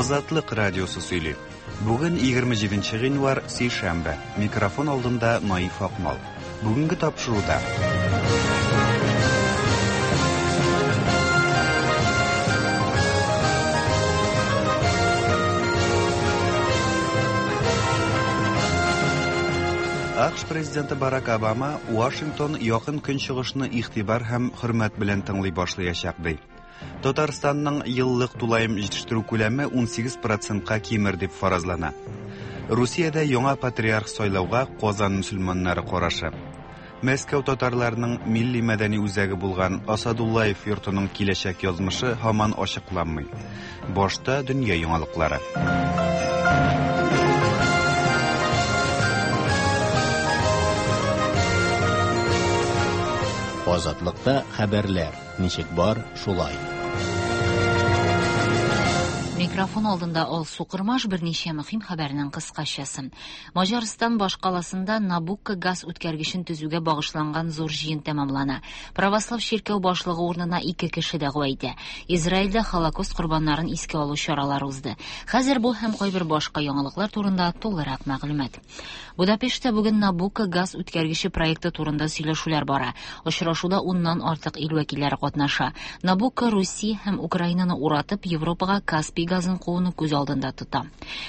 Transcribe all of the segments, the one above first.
Азатлык радиосы сөйли. Бүген 27 гыйнвар, сишәмбе. Микрофон алдында Наиф Акмал. Бүгенге тапшыруда. АКШ президенты Барак Обама Вашингтон якын көнчыгышны игътибар һәм хөрмәт белән тыңлый башлаячак ди. Татарстанның еллык тулаем җитештерү күләме 18 процентка кимер дип фаразлана. Русиядә яңа патриарх сайлауга Казан мөселманнары карашы. Мәскәү татарларының милли мәдәни үзәге булган Асадуллаев йортының киләчәк язмышы һаман ачыкланмый. Башта дөнья яңалыклары. Азатлыкта хәбәрләр. Ничек бар, шулай. Микрофон алдында Алсу Кырмаш берничә мөһим хәбәрнең кыскачасы. Маҗарстан башкаласында Набукко газ үткәргечен төзүгә багышланган зур җыен тәмамлана. Православ чиркәү башлыгы урынына ике кеше дәгъва итә. Израильдә Холокост корбаннарын искә алу чаралары узды. Хәзер бу һәм кайбер башка яңалыклар турында тулырак мәгълүмат. Будапештта бүген Набукко газ үткәргече проекты турында сөйләшүләр бара. Очрашуда уннан артык ил вәкилләре катнаша. Набукко Русия һәм Украинаны уратып, Европага Каспий газын кууны күз алдында тота.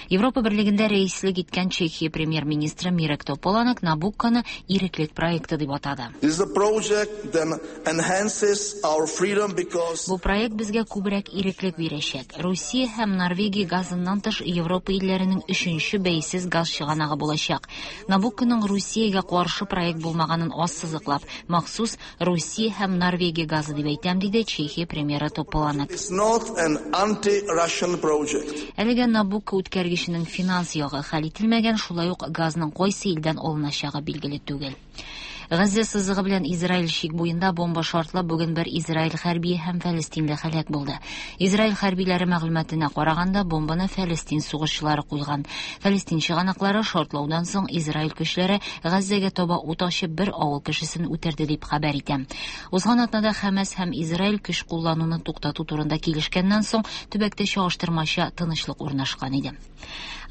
Европа Берлегендә рәислек иткән Чехия премьер-министры Мирек Тополанек Набукконы иреклек проекты дип атады. Бу проект безгә күбрәк иреклек бирәчәк. Русия һәм Норвегия газыннан тыш Европа илләренең өченче бәйсез газ чыганагы булачак. Набукконың Русиягә каршы проект булмаганын ассызыклап, махсус Русия һәм Норвегия газы дип әйтәм, диде Чехия премьеры Тополанек. Әлегә Набукко үткәргеченең финанс ягы хәл ителмәгән, шулай ук газның кайсы илдән алыначагы билгеле түгел. Газзә сызыгы белән Израиль чик буенда бомба шартлап, бүген бер Израиль хәрбие һәм фәлестинле һәлак булды. Израиль хәрбиләре мәгълүматына караганда, бомбаны фәлестин сугышчылары куйган. Фәлестин чыганаклары шартлаудан соң Израиль көчләре Газзәгә таба ут ачып бер авыл кешесен үтерде дип хәбәр итә. Узган атнада Хәмәс һәм Израиль көч куллануны туктату турында килешкәннән соң төбәктә чагыштырмача тынычлык урнашкан иде.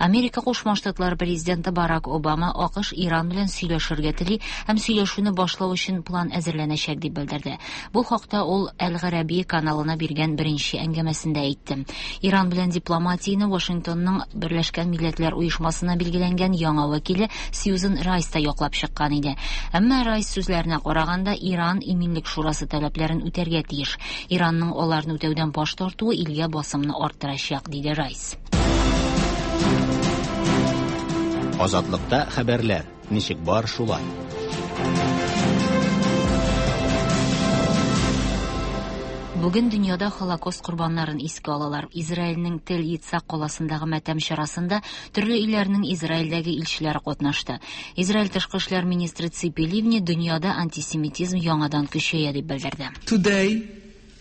Америка Кушма Штатлары президенты Барак Обама АКШ Иран белән сөйләшергә тели һәм сөйләшүне башлау өчен план әзерләнәчәк дип белдерде. Бу хакта ул Әл-Гарәби каналына биргән беренче әңгәмәсендә әйтте. Иран белән дипломатияне Вашингтонның Берләшкән Милләтләр Оешмасына билгеләнгән яңа вәкиле Сьюзен Райс та яклап чыккан иде. Әмма Райс сүзләренә караганда, Иран Иминлек шурасы таләпләрен үтәргә тиеш. Иранның аларны үтәүдән баш тартуы илгә басымны арттырачак, диде Райс. Азатлыкта хәбәрләр. Ничек бар, шулай. Бүген дөньяда Холокост корбаннарын искә алалар. Израильнең Тель-Ицак каласындагы матәм чарасында төрле илләрнең Израильдәге илчеләре катнашты. Израиль тышкы эшләр министры Ципи Ливни дөньяда антисемитизм яңадан көчәя дип белдерде. Today,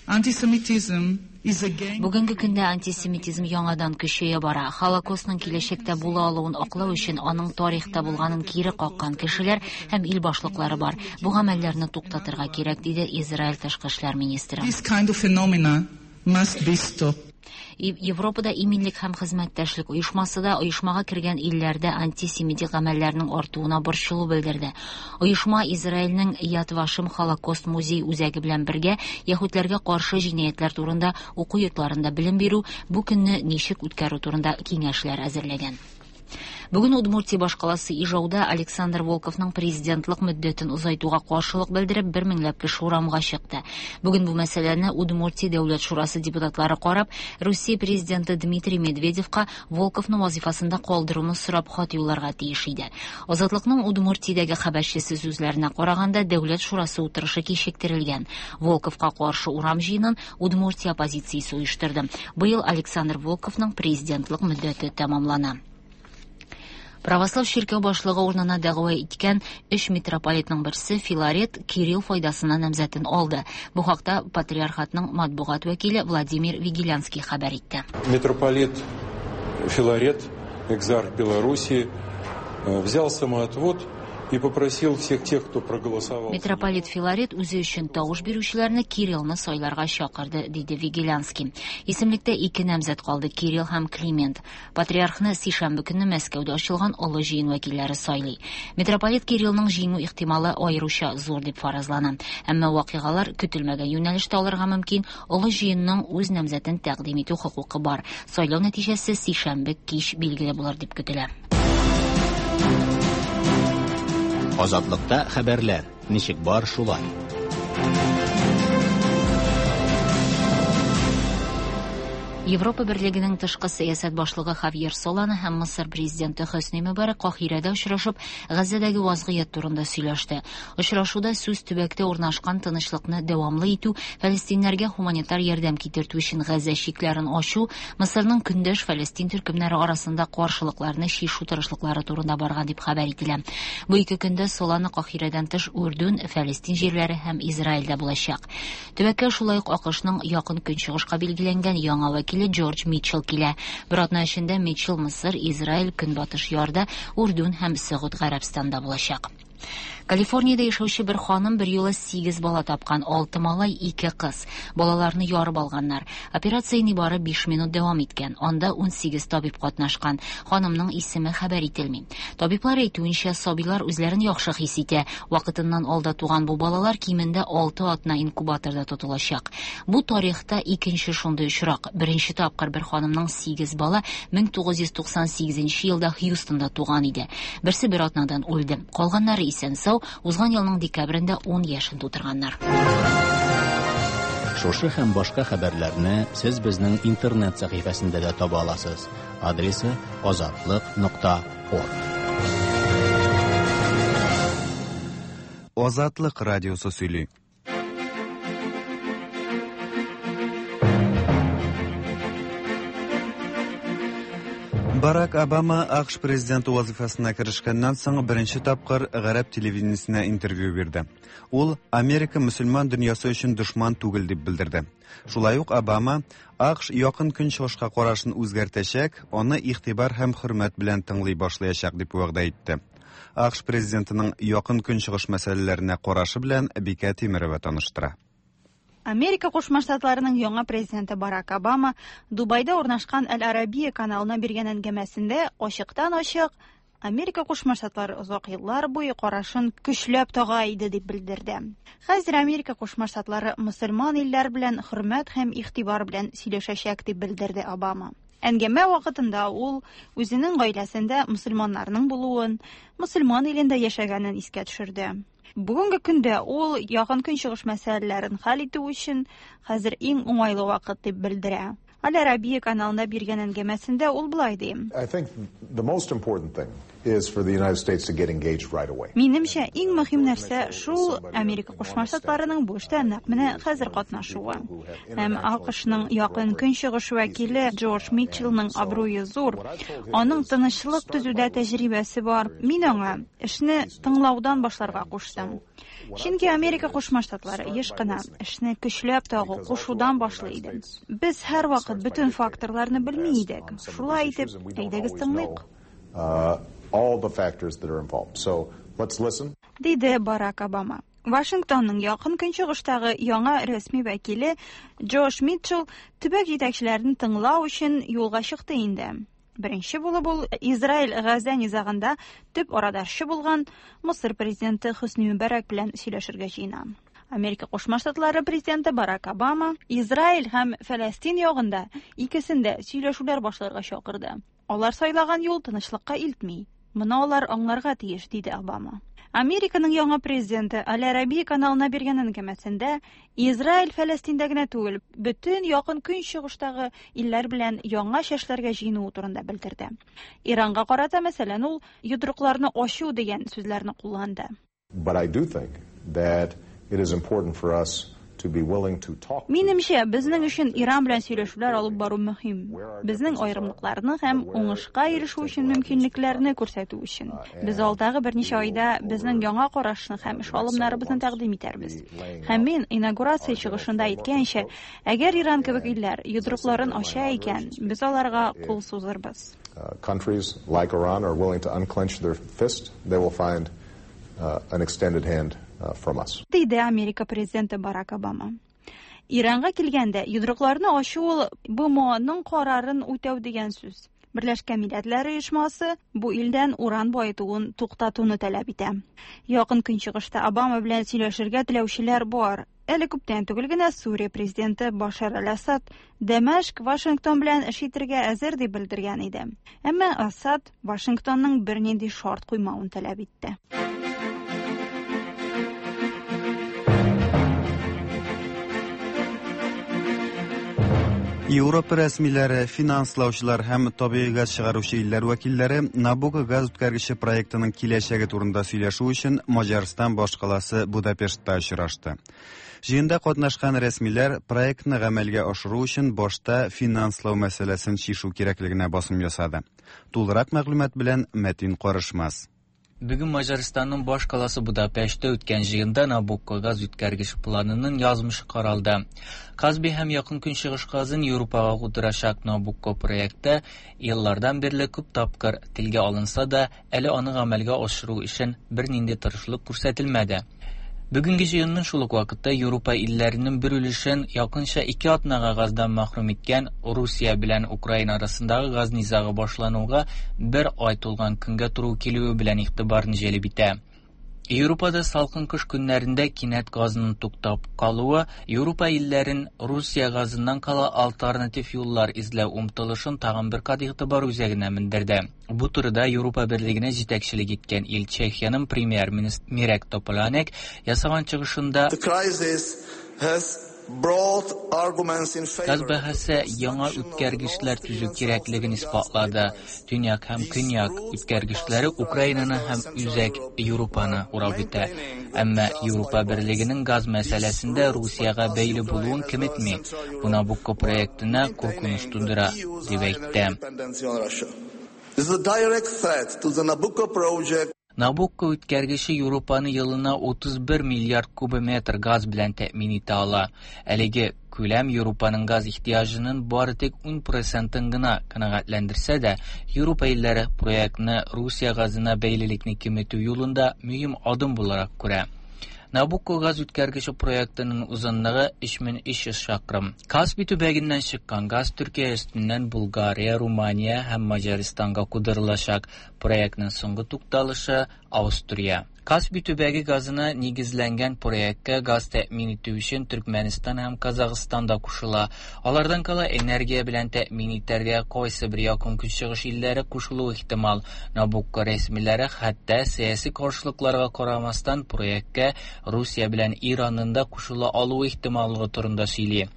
antisemitism is again Бүгенге көндә антисемитизм яңадан көчәя бара. Холокостның киләчәктә була алуын аклау өчен аның тарихта булганын кире каккан кешеләр һәм ил башлыклары бар. Бу гамәлләрне туктатырга кирәк, диде Израиль тышкы эшләр министры. This kind of phenomena must be stopped. Европада иминлек һәм хезмәттәшлек оешмасы да оешмага кергән илләрдә антисемитик гамәлләрнең артуына борчылу белдерде. Оешма Израильнең Яд Вашем Холокост музей үзәге белән бергә яһүдләргә каршы җинаятьләр турында уку йортларында белем бирү, бу көнне ничек үткәрү турында киңәшләр әзерләгән. Бүген Удмуртия башкаласы Ижауда Александр Волковның президентлык мөддәтен озайтуга каршылык белдереп, бер меңләп кеше урамга чыкты. Бүген бу мәсьәләне Удмуртия Дәүләт шурасы депутатлары карап, Русия президенты Дмитрий Медведевка Волковны вазифасында калдыруны сорап хат юлларга тиеш иде. Азатлыкның Удмуртиядәге хәбәрчесе сүзләренә караганда, Дәүләт шурасы утырышы кичектерелгән. Волковка каршы урам җыенын Удмуртия оппозициясе оештырды. Быел Александр Волковның президентлык мөддәте тәмамлана. Православ чиркәү башлыгы урынына дәгъва иткән өч митрополитның берсе Филарет Кирилл файдасына намзәтен алды. Бу хакта патриархатның матбугат вәкиле Владимир Вигилянский хәбәр итте. Митрополит Филарет, экзарх Белоруссии, взял самоотвод И попросил всех тех, кто проголосовал. Митрополит Филарет үзе өчен тавыш бирүчеләрне Кириллны сайларга чакырды, диде Вигилянский. Исемлектә ике намзәт калды: Кирилл һәм Климент. Патриархны сишәмбе көнне Мәскәүдә ачылган Олы җыен вәкилләре сайлый. Митрополит Кириллның җиңү ихтималы аеруча зур дип фаразлана. Әмма вакыйгалар көтелмәгән юнәлештә алырга мөмкин. Олы җыенның үз намзәтен тәкъдим итү хокукы бар. Сайлау нәтиҗәсе сишәмбе кич билгеле булыр дип көтелә. Азатлыкта хәбәрләр ничек бар шулай. Европа Берлегенең тышкы сәясәт башлыгы Хавьер Солана һәм Мысыр президенты Хөсни Мөбарәк Каһирәдә очрашып, Газзәдәге вазгыять турында сөйләште. Очрашуда сүз төбәктә урнашкан тынычлыкны дәвамлы итү, фәлестиннәргә гуманитар ярдәм китертү өчен Газзә чикләрен ачу, Мысырның көндәш фәлестин төркемнәре арасында каршылыкларны чишү тырышлыклары турында барган дип хәбәр ителә. Бу ике көндә Солана Каһирәдән тыш Үрдүн, Фәлестин җирләре һәм Израильдә булачак. Төбәккә шулай ук АКШның якын көнчыгышка билгеләнгән яңа вәкиле Джордж Митчелл килә. Бер атна эчендә Митчелл Мысыр, Израиль, Көнбатыш Ярда, Үрдүн һәм Сәгуд Гарәбстанда булачак. Калифорниядә яшәүче бер ханым бер юлы 8 бала тапкан, 6 малай, 2 кыз. Балаларны ярып алганнар. Операция нибары 5 минут дәвам иткән. Анда 18 табиб катнашкан. Ханымның исеме хәбәр ителми. Табиблар әйтүенчә, сабыйлар үзләрен яхшы хис итә. Вакытыннан алда туган бу балалар кимендә 6 атна инкубаторда тотылачак. Бу тарихта икенче шундый очрак. Беренче тапкыр бер ханымның 8 бала 1998 елда Хьюстонда туган иде. Берсе бер атнадан үлде. Калганнары исән сау, узган елның декабрендә 10 яшен тутырганнар. Шушы һәм башка хәбәрләрне сез безнең интернет сәхифәсендә дә таба аласыз. Адресы azatliq.org. Азатлык радиосы сөйли. Барак Обама АКШ президенты вазифасына керешкәннән соң беренче тапкыр гарәп телевидениесенә интервью бирде. Ул Америка мөселман дөньясы өчен дошман түгел дип белдерде. Шулай ук Обама АКШ якын көнчыгышка карашын үзгәртәчәк, аны игътибар һәм хөрмәт белән тыңлый башлаячак дип вәгъдә итте. АКШ президентының якын көнчыгыш мәсьәләләренә карашы белән Бикә Тимерова таныштыра. Америка Кушма Штатларының яңа президенты Барак Обама Дубайда урнашкан Әл-Арабия каналына биргән әңгәмәсендә ачыктан-ачык Америка Кушма Штатлары озак еллар буе карашын көчләп тага иде дип белдерде. Хәзер Америка Кушма Штатлары мөселман илләр белән хөрмәт һәм игътибар белән сөйләшәчәк дип белдерде Обама. Әңгәмә вакытында ул үзенең гаиләсендә мөселманнарның булуын, мөселман илендә яшәгәнен искә төшерде. Бүгенге көндә ул якын көнчыгыш мәсьәләләрен хәл итү өчен хәзер иң уңайлы вакыт дип белдерә. Аль-Арабия каналында биргән әңгәмәсендә ул болай ди. I think the most important thing is for the United States to get engaged right away. Минемчә, иң мөһим нәрсә шул Америка Кушма Штатларының бу эштә нәкъ менә хәзер катнашуы. Һәм АКШның якын көнчыгыш вәкиле Джордж Митчеллның абруе зур. Аның тынычлык төзүдә тәҗрибәсе бар. Мин аңа эшне тыңлаудан башларга куштым. Чөнки Америка Кушма Штатлары еш кына эшне көчләп тагу, кушудан башлый иде. Без һәрвакыт бөтен факторларны белми идек. Шулай итеп, әйдәгез тыңлыйк. All the factors that are involved. So let's listen. Диде Барак Обама. Вашингтонның якын көнчыгыштагы яңа рәсми вәкиле Джош Митчелл төбәк җитәкчеләрен тыңлау өчен юлга чыкты инде. Беренче булып ул Израиль Газа низагында төп арадашчы булган Мысыр президенты Хөсни Мөбарәк белән сөйләшергә җыена. Америка Кушма Штатлары президенты Барак Обама Израиль һәм Фәләстин ягында икесендә сөйләшүләр башларга чакырды. Алар сайлаган юл тынычлыкка илтми. Моны алар аңларга тиеш, диде Обама. Американың яңа президенты Аль-Арабия каналына биргән әңгәмәсендә Израиль Фәләстиндә генә түгел, бөтен якын көнчыгыштагы илләр белән яңа чәшләргә җыенуы турында белдерде. Иранга карата, мәсәлән, ул йодрыкларны ачу дигән сүзләрне кулланды. But I do think that it is important for us to be willing to talk. Минемчә, безнең өчен Иран белән сөйләшүләр алып бару мөһим. Безнең аерымлыкларны һәм уңышка ирешү өчен мөмкинлекләрне күрсәтү өчен. Без алдагы берничә айда безнең яңа карашны һәм эш алымнарыбызны тәкъдим итәрбез. Һәм мин инаугурация чыгышында әйткәнчә, әгәр Иран кебек илләр йодрыкларын ача икән, без аларга кул сузырбыз. Countries like Iran are willing to unclench their fist, they will find an extended hand from us. Диде Америка президенты Барак Обама. Иранга килгәндә, йодрыкларны ачу ул БМОның карарын үтәү дигән сүз. Берләшкән Милләтләр Оешмасы бу илдән уран баетуын туктатуны таләп итә. Якын Көнчыгышта Обама белән сөйләшергә теләүчеләр бар. Әле күптән түгел генә Сүрия президенты Башар аль-Асад Дәмәшк Вашингтон белән эш итәргә әзер дип белдергән иде. Әмма Асад Вашингтонның бернинди шарт куймавын таләп итте. Европа рәсмиләре, финанслаучылар һәм табигый газ чыгаручы илләр вәкилләре Набуко газ үткәргече проектының киләчәге турында сөйләшү өчен Маҗарстан башкаласы Будапештта очрашты. Җыенда катнашкан рәсмиләр проектны гамәлгә ашыру өчен башта финанслау мәсьәләсен чишү кирәклегенә басым ясады. Тулырак мәгълүмат белән Мәтин Карышмас. Бүген Маҗарстанның баш каласы Будапештта үткән җыенда Набукко газ үткәргеч планының язмышы каралды. Казби һәм Якын Көнчыгыш газын Европага кудырачак Набукко проекты еллардан бирле күп тапкыр телгә алынса да, әле аны гамәлгә ашыру өчен бернинди тырышлык күрсәтелмәде. Бүгенге җыенның шул ук вакытта Европа илләренең бер өлешен якынча 2 атнага газдан мәхрүм иткән Русия белән Украина арасындагы газ низагы башлануга бер ай тулган көнгә туры килүе белән игътибарны җәлеп итә. Европада салкын кыш көннәрендә кинәт газның туктап калуы Европа илләрен Русия газыннан кала альтернатив юллар эзләү омтылышын тагын бер кат игътибар үзәгенә мендерде. Бу турыда Европа берлегенә җитәкчелек иткән ил Чехиянең премьер-министры Мирек Тополанек ясаган чыгышында газ бәһасе яңа үткәргечләр төзү кирәклеген исбатлады. Төньяк һәм көньяк үткәргечләре Украинаны һәм Үзәк Европаны урап үтә. Әмма Европа берлегенең газ мәсьәләсендә Русиягә бәйле булуын киметми. Бу Набукко проектына куркыныч тудыра, дип әйтте. Набукко үткәргече Европаны елына 31 миллиард кубометр газ белән тәэмин итә ала. Әлеге күләм Европаның газ ихтыяҗының бары тик 10%-ын гына канәгатьләндерсә дә, Европа илләре проектны Русия газына бәйлелекне киметү юлында мөһим адым буларак күрә. Набукко газ үткәргече проектының узынлыгы 3300 чакрым. Каспий төбәгеннән чыккан газ Төркия өстеннән Булгария, Румыния һәм Маҗарстанга кудырылачак. Проектның соңгы тукталышы Австрия. Каспий төбәге газына нигезләнгән проектка газ тәэмин итү өчен Төркмәнстан һәм Казахстан да кушыла. Алардан кала энергия белән тәэмин итәргә кайсы бер якын көнчыгыш илләре кушылуы ихтимал. Набукко рәсмиләре хәтта сәяси каршылыкларга карамастан проектка Русия белән Иранның да кушыла алуы ихтималлыгы турында сөйли.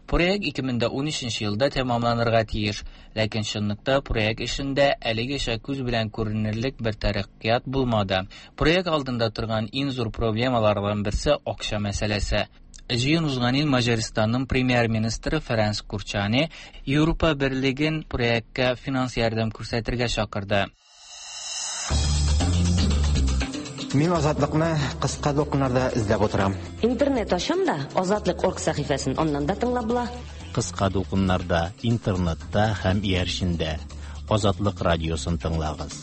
Проект 2013 елда тәмамланырга тиеш, ләкин чынлыкта проект эшендә әлегәчә күз белән күренерлек бер тәрәккыят булмады. Проект алдында торган иң зур проблемалардан берсе акча мәсьәләсе. Җыен узган ел Маҗарстанның премьер-министры Ференц Курчани Европа берлеген проектка финанс ярдәм күрсәтергә чакырды. Мин Азатлыкны кыска дулкыннарда эзләп утырам. Интернет ачам да, Азатлык.орг сәхифәсен аннан да тыңлап була. Кыска дулкыннарда, интернетта һәм иярчендә Азатлык радиосын тыңлагыз.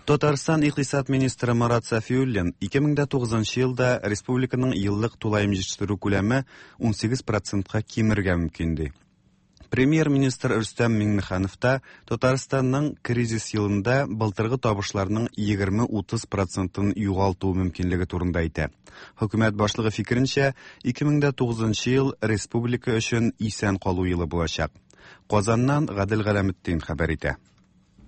Татарстан икътисад министры Марат Сафиуллин 2009 елда республиканың еллык тулаем җитештерү күләме 18%-ка кимергә мөмкин ди. Премьер-министр Рөстәм Миңнеханов та Татарстанның кризис елында былтыргы табышларның 20-30%-ын югалту мөмкинлеге турында әйтә. Хөкүмәт башлыгы фикеренчә, 2009 ел республика өчен исән калу елы булачак. Казаннан Гадел Галәметдин хәбәр итә.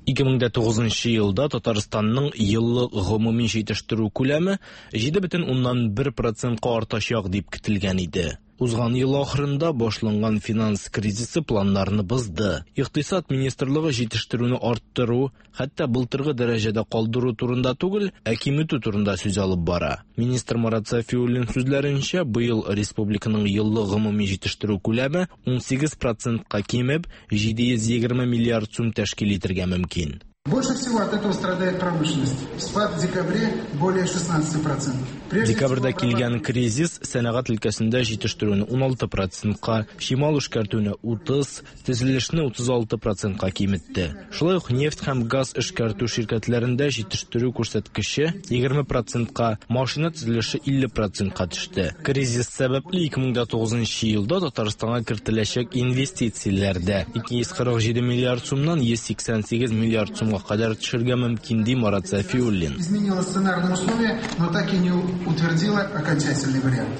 2009 елда Татарстанның еллык гомуми җитештерү күләме 7,1%-ка артачак дип көтелгән иде. Узган ел ахырында башланган финанс кризисы планнарны бозды. Икътисад министрлыгы җитештерүне арттыру, хәтта былтыргы дәрәҗәдә калдыру турында түгел, ә киметү турында сүз алып бара. Министр Марат Сафиуллин сүзләренчә, быел республиканың еллык гомуми җитештерү күләме 18%-ка кимеп, 720 миллиард сум тәшкил итәргә мөмкин. Больше всего от этого страдает промышленность. Спад в декабре более 16%. Декабрьдә килгән кризис сәнәгать өлкәсендә җитештерүне 16 процентка, чимал эшкәртүне 30, төзелешне 36 процентка киметте. Шулай ук нефть һәм газ эшкәртү ширкәтләрендә җитештерү күрсәткече 20 процентка, машина төзелеше 50 процентка төште. Кризис сәбәпле 2009 елда Татарстанга кертеләчәк инвестицияләр дә 247 миллиард сумнан 188 миллиард сумга кадәр төшергә мөмкин, ди Марат Сафиуллин. Изменила сценарные условия, но так и не утвердила окончательный вариант.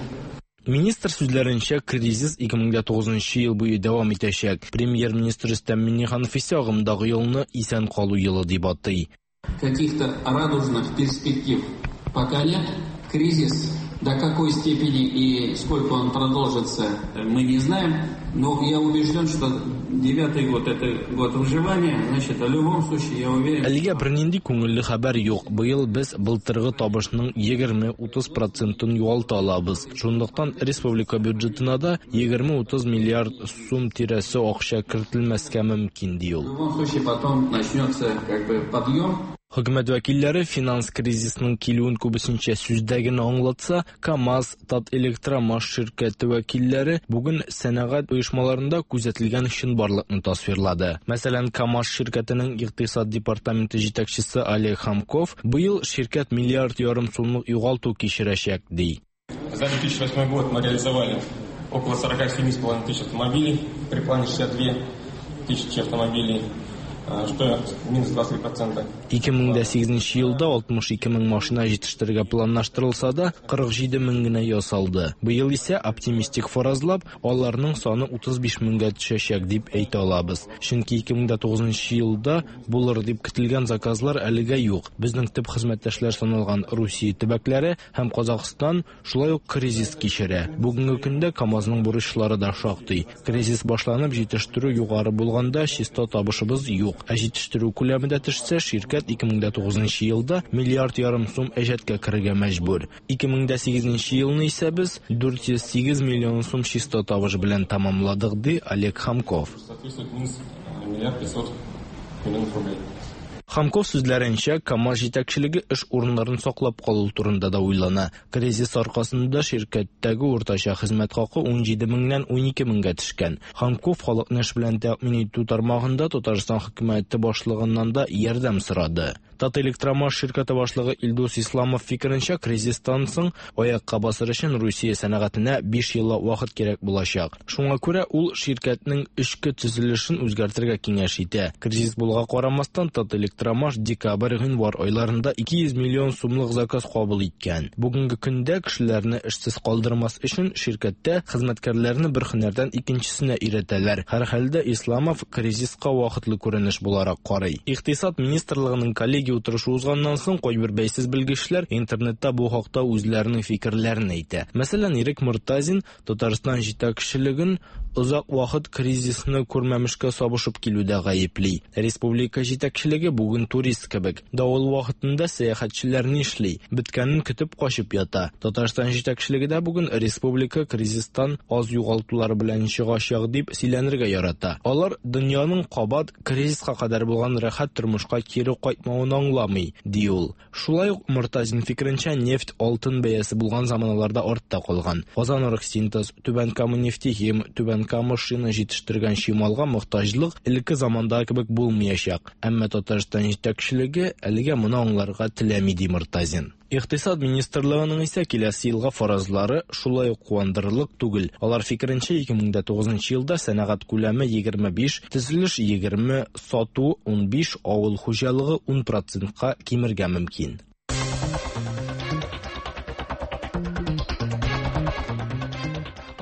Министр сүзләренчә, кризис 2009 ел буе дәвам итәчәк. Премьер-министр Рөстәм Миңнеханов исә агымдагы елны исән калу елы дип атый. Каких-то радужных перспектив пока нет. Кризис до какой степени и сколько он продолжится, мы не знаем. Но я убежден, что девятый год – это год выживания. Значит, в любом случае, я уверен... Әлегә бернинди күңелле хәбәр юк. Быел без былтыргы табышның 20-30 процентын югалта алабыз. Шунлыктан республика бюджетына да 20-30 миллиард сум тирәсе акча кертелмәскә мөмкин, ди ул. В любом случае, потом начнется как бы подъем. Хөкүмәт вәкилләре финанс кризисының килүен күбесенчә сүздә генә аңлатса, КАМАЗ, Татэлектромаш ширкәте вәкилләре бүген сәнәгать оешмаларында күзәтелгән чынбарлыкны тасвирлады. Мәсәлән, КАМАЗ ширкәтенең икътисад департаменты җитәкчесе Олег Хамков быел ширкәт миллиард ярым сумлык югалту кичерәчәк, ди. За 2008 год мы реализовали около 47,5 тысяч автомобилей при плане 62 тысячи автомобилей, что минус 23%. 2008 елда 62 мең машина җитештерергә планлаштырылса да, 47 мең генә ясалды. Быел исә оптимистик фаразлап, аларның саны 35 меңгә төшәчәк дип әйтә алабыз. Чөнки 2009 елда булыр дип көтелгән заказлар әлегә юк. Безнең төп хезмәттәшләр саналган Русия төбәкләре һәм Казахстан шулай ук кризис кичерә. Бүгенге көндә КАМАЗның бурычлары да шактый. Кризис башланып, җитештерү югары булганда чиста табышыбыз юк. Ә җитештерү күләме дә төшсә, ширкәт 2009 елда миллиард ярым сум әҗәткә керергә мәҗбүр. 2008 елны исә без 408 миллион сум чиста табыш белән тәмамладык, ди Олег Хамков. Соответствует минус миллиард 500 миллионов рублей. Хамков сүзләренчә, КАМАЗ җитәкчелеге эш урыннарын саклап калу турында да уйлана. Кризис аркасында ширкәттәге уртача хезмәт хакы 17 меңнән 12 меңгә төшкән. Хамков халыкны эш белән тәэмин итү тармагында Татарстан хөкүмәте башлыгыннан да ярдәм сорады. Татэлектромаш ширкәте башлыгы Илдус Исламов фикеренчә, кризистан соң аякка басыр өчен Русия сәнәгатенә 5 еллап вакыт кирәк булачак. Шуңа күрә ул ширкәтнең эчке төзелешен үзгәртергә киңәш итә. Кризис булуга карамастан, Татэлектромаш декабрь-гыйнвар айларында 200 миллион сумлык заказ кабул иткән. Бүгенге көндә кешеләрне эшсез калдырмас өчен ширкәттә хезмәткәрләрне бер һөнәрдән икенчесенә өйрәтәләр. Һәрхәлдә Исламов кризиска вакытлы күренеш буларак карый. Икътисад министрлыгының коллегия утырышы узганнан соң кайбер бәйсез белгечләр интернетта бу хакта үзләренең фикерләрен әйтә. Мәсәлән, Ирек Мортазин Татарстан җитәкчелеген озак вакыт кризисны күрмәмешкә сабышып килүдә гаепли. Республика җитәкчелеге бүген турист кебек. Давыл вакытында сәяхәтчеләр нишли? Беткәнен көтеп качып ята. Татарстан җитәкчелеге дә бүген республика кризистан аз югалтулар белән чыгачак дип сөйләнергә ярата. Алар дөньяның кабат кризиска кадәр булган рәхәт тормышка кире кайтмавын аңламый, ди ул. Шулай ук Мортазин фикеренчә, нефть алтын бәясе булган заманаларда артта калган. Казан Оргсинтез, Түбән Кама нефтехим, Түбән Кама шина җитештергән чималга мохтаҗлык элекке замандагы кебек булмаячак. Әмма Татарстан җитәкчелеге әлегә моны аңларга теләми, ди Мортазин. Икътисад министрлыгының исә киләсе елга фаразлары шулай ук куандырырлык түгел. Алар фикеренчә, 2009 елда сәнәгать күләме 25, төзелеш 20, сату 15, авыл хуҗалыгы 10 процентка кимергә мөмкин.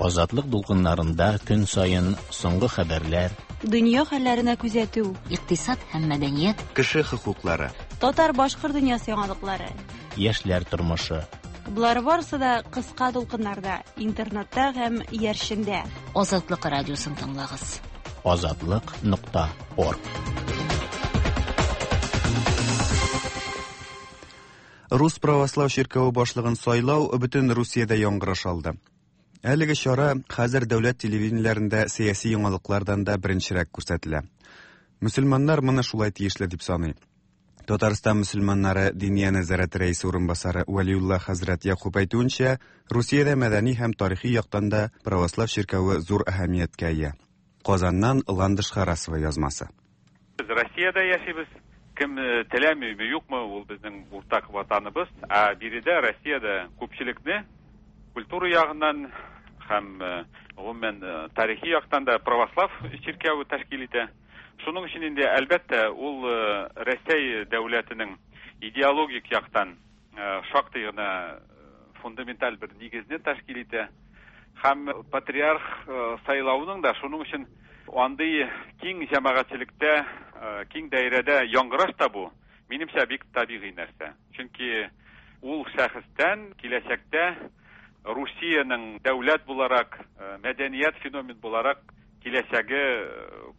Азатлык дулкыннарында көн саен соңгы хәбәрләр, Дөнья хәлләренә күзәтү, икътисад һәм мәдәният, кеше хокуклары, татар-башкорт дөньясы яңалыклары, яшьләр тормышы. Болар барысы да кыска дулкыннарда, интернетта һәм иярчендә. Азатлык радиосын тыңлагыз. Азатлык.орг. Рус православ чиркәве башлыгын сайлау бөтен Русиядә яңгыраш алды. Әлеге чара хәзер дәүләт телевидениеләрендә сәяси яңалыклардан да беренчерәк күрсәтелә. Мөселманнар моны шулай тиешле дип саный. Татарстан мөселманнары Диния нәзарәте рәисе урынбасары Вәлиулла хәзрәт Якуб әйтүенчә, Русиядә мәдәни һәм тарихи яктан да православ чиркәве зур әһәмияткә ия. Казаннан Ландыш Харасова язмасы. Без Россиядә яшибез. Кем теләмиме, юкмы, ул безнең уртак ватаныбыз. Ә биредә Россиядә күпчелекне культура ягыннан һәм гомумән тарихи яктан да православ чиркәве тәшкил итә. Шуның өчен инде, әлбәттә, ул Рәсәй дәүләтенең идеологик яктан шактый гына фундаменталь бер нигезне тәшкил итә. Һәм патриарх сайлавының да шуның өчен андый киң җәмәгатьчелектә, киң даирәдә яңгыраш табу, минемчә, бик табигый нәрсә. Чөнки ул шәхестән киләчәктә Русиянең дәүләт буларак, мәдәният феномен буларак киләчәге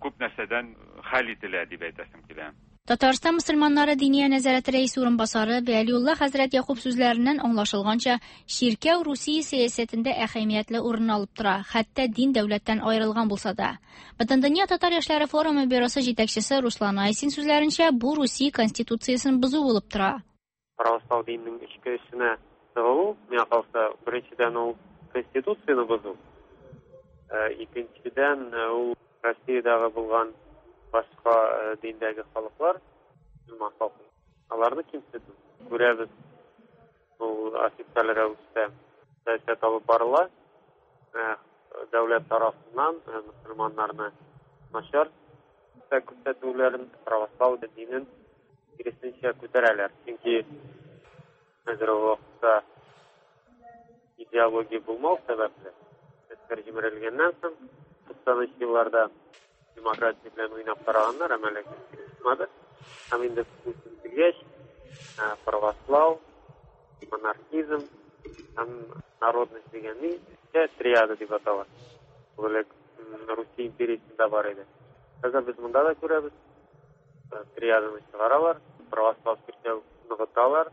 күп нәрсәдән хәл ителә дип әйтәсем килә. Татарстан мөселманнары Диния нәзарәте рәисе урынбасары Вәлиулла хәзрәт Якуб сүзләреннән аңлашылганча, чиркәү Русия сәясәтендә әһәмиятле урын алып тора, хәтта дин дәүләттән аерылган булса да. Бөтендөнья татар яшьләре форумы бюросы җитәкчесе Руслан Айсин сүзләренчә, бу Русия конституциясен бозу булып тора. Православ диненең эчке эшенә тыгылу, миңа калса, беренчедән ул конституцияне бозу, икенчедән ул Россиядәге булган башка диндәге халыклар, мөселман халкы, аларны кимсетү. Күрәбез, ул официаль рәвештә сәясәт алып барыла. Дәүләт тарафыннан мөселманнарны начар күрсәтүләрен, православ динен киресенчә күтәрәләр. Чөнки хәзерге вакытта идеология булмау сәбәпле, СССР җимерелгәннән соң, 90 елларда демократия белән уйнап караганнар, әмма ләкин килеп чыкмады. Һәм инде Путин килгәч, православ, монархизм һәм народность дигән ни, триада дип атала. Ул элек Русия империясендә бар иде. Хәзер без монда да күрәбез, триаданы чыгаралар, православ чиркәү ныгыталар.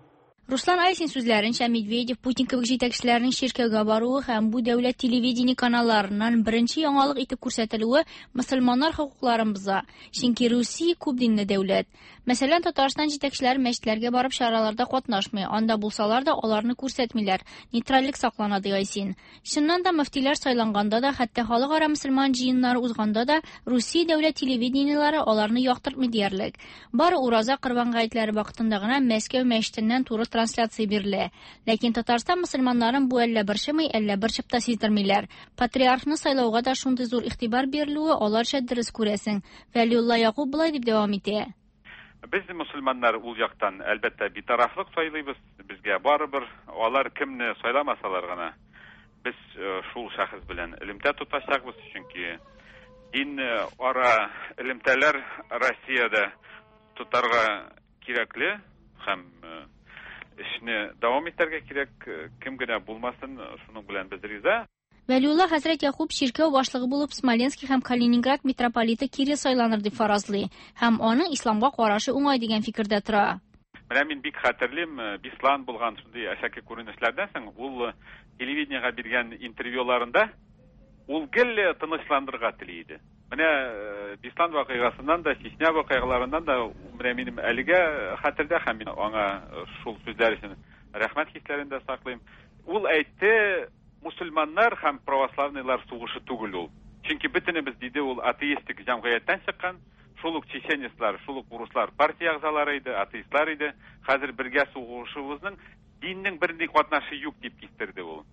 Руслан Айсин сүзләренчә, Медведев, Путин кебек җитәкчеләрнең чиркәүгә баруы һәм бу дәүләт телевидение каналларыннан беренче яңалык итеп күрсәтелүе мөселманнар хокукларын боза. Чөнки Русия күп динле дәүләт. Мәсәлән, Татарстан җитәкчеләре мәчетләргә барып чараларда катнашмый, анда булсалар да аларны күрсәтмиләр. Нейтральлек саклана, ди Айсин. Чыннан да, мөфтиләр сайланганда да, хәтта халыкара мөселман җыеннары узганда да, Русия дәүләт телевидениеләре аларны яктыртмый диярлек. Бары Ураза Корбан гаетләре вакытында гына Мәскәү мәчетеннән туры трансляция бирелә. Ләкин Татарстан мөселманнарын бу әллә борчымый, әллә борчып та сиздермиләр. Патриархны сайлауга да шундый зур игътибар бирелүе аларча дөрес күрәсең. Вәлиулла Якуб болай дип дәвам итә. Без мөселманнар ул яктан әлбәттә битарафлык сайлыйбыз. Безгә барыбер алар кемне сайламасалар гына без шул шәхес белән элемтә тотачакбыз, чөнки дин ара элемтәләр Россиядә тотарга кирәкле һәм эшне дәвам итәргә кирәк, кем генә булмасын, шуның белән без риза. Вәлиулла хәзрәт Якуб чиркәү башлыгы булып Смоленский һәм Калининград митрополиты Кирилл сайланыр дип фаразлый һәм аның исламга карашы уңай дигән фикердә тора. Менә мин бик хәтерлим, Беслан булган шундый әшәке күренешләрдән соң ул телевидениегә биргән интервьюларында ул гел тынычландырырга тели иде. Менә Беслан вакыйгасыннан да, Чечня вакыйгаларыннан да менә минем әлегә хәтердә һәм мин аңа шул сүзләр өчен рәхмәт хисләрен дә саклыйм. Ул әйтте, мусульманнар һәм православныйлар сугышы түгел ул. Чөнки бөтенебез, диде ул, атеистик җәмгыятьтән чыккан, шул ук чеченецлар, шул ук урыслар партия әгъзалары иде, атеистлар иде. Хәзер бергә сугышыбызның диннең бернинди катнашы юк дип кистерде ул.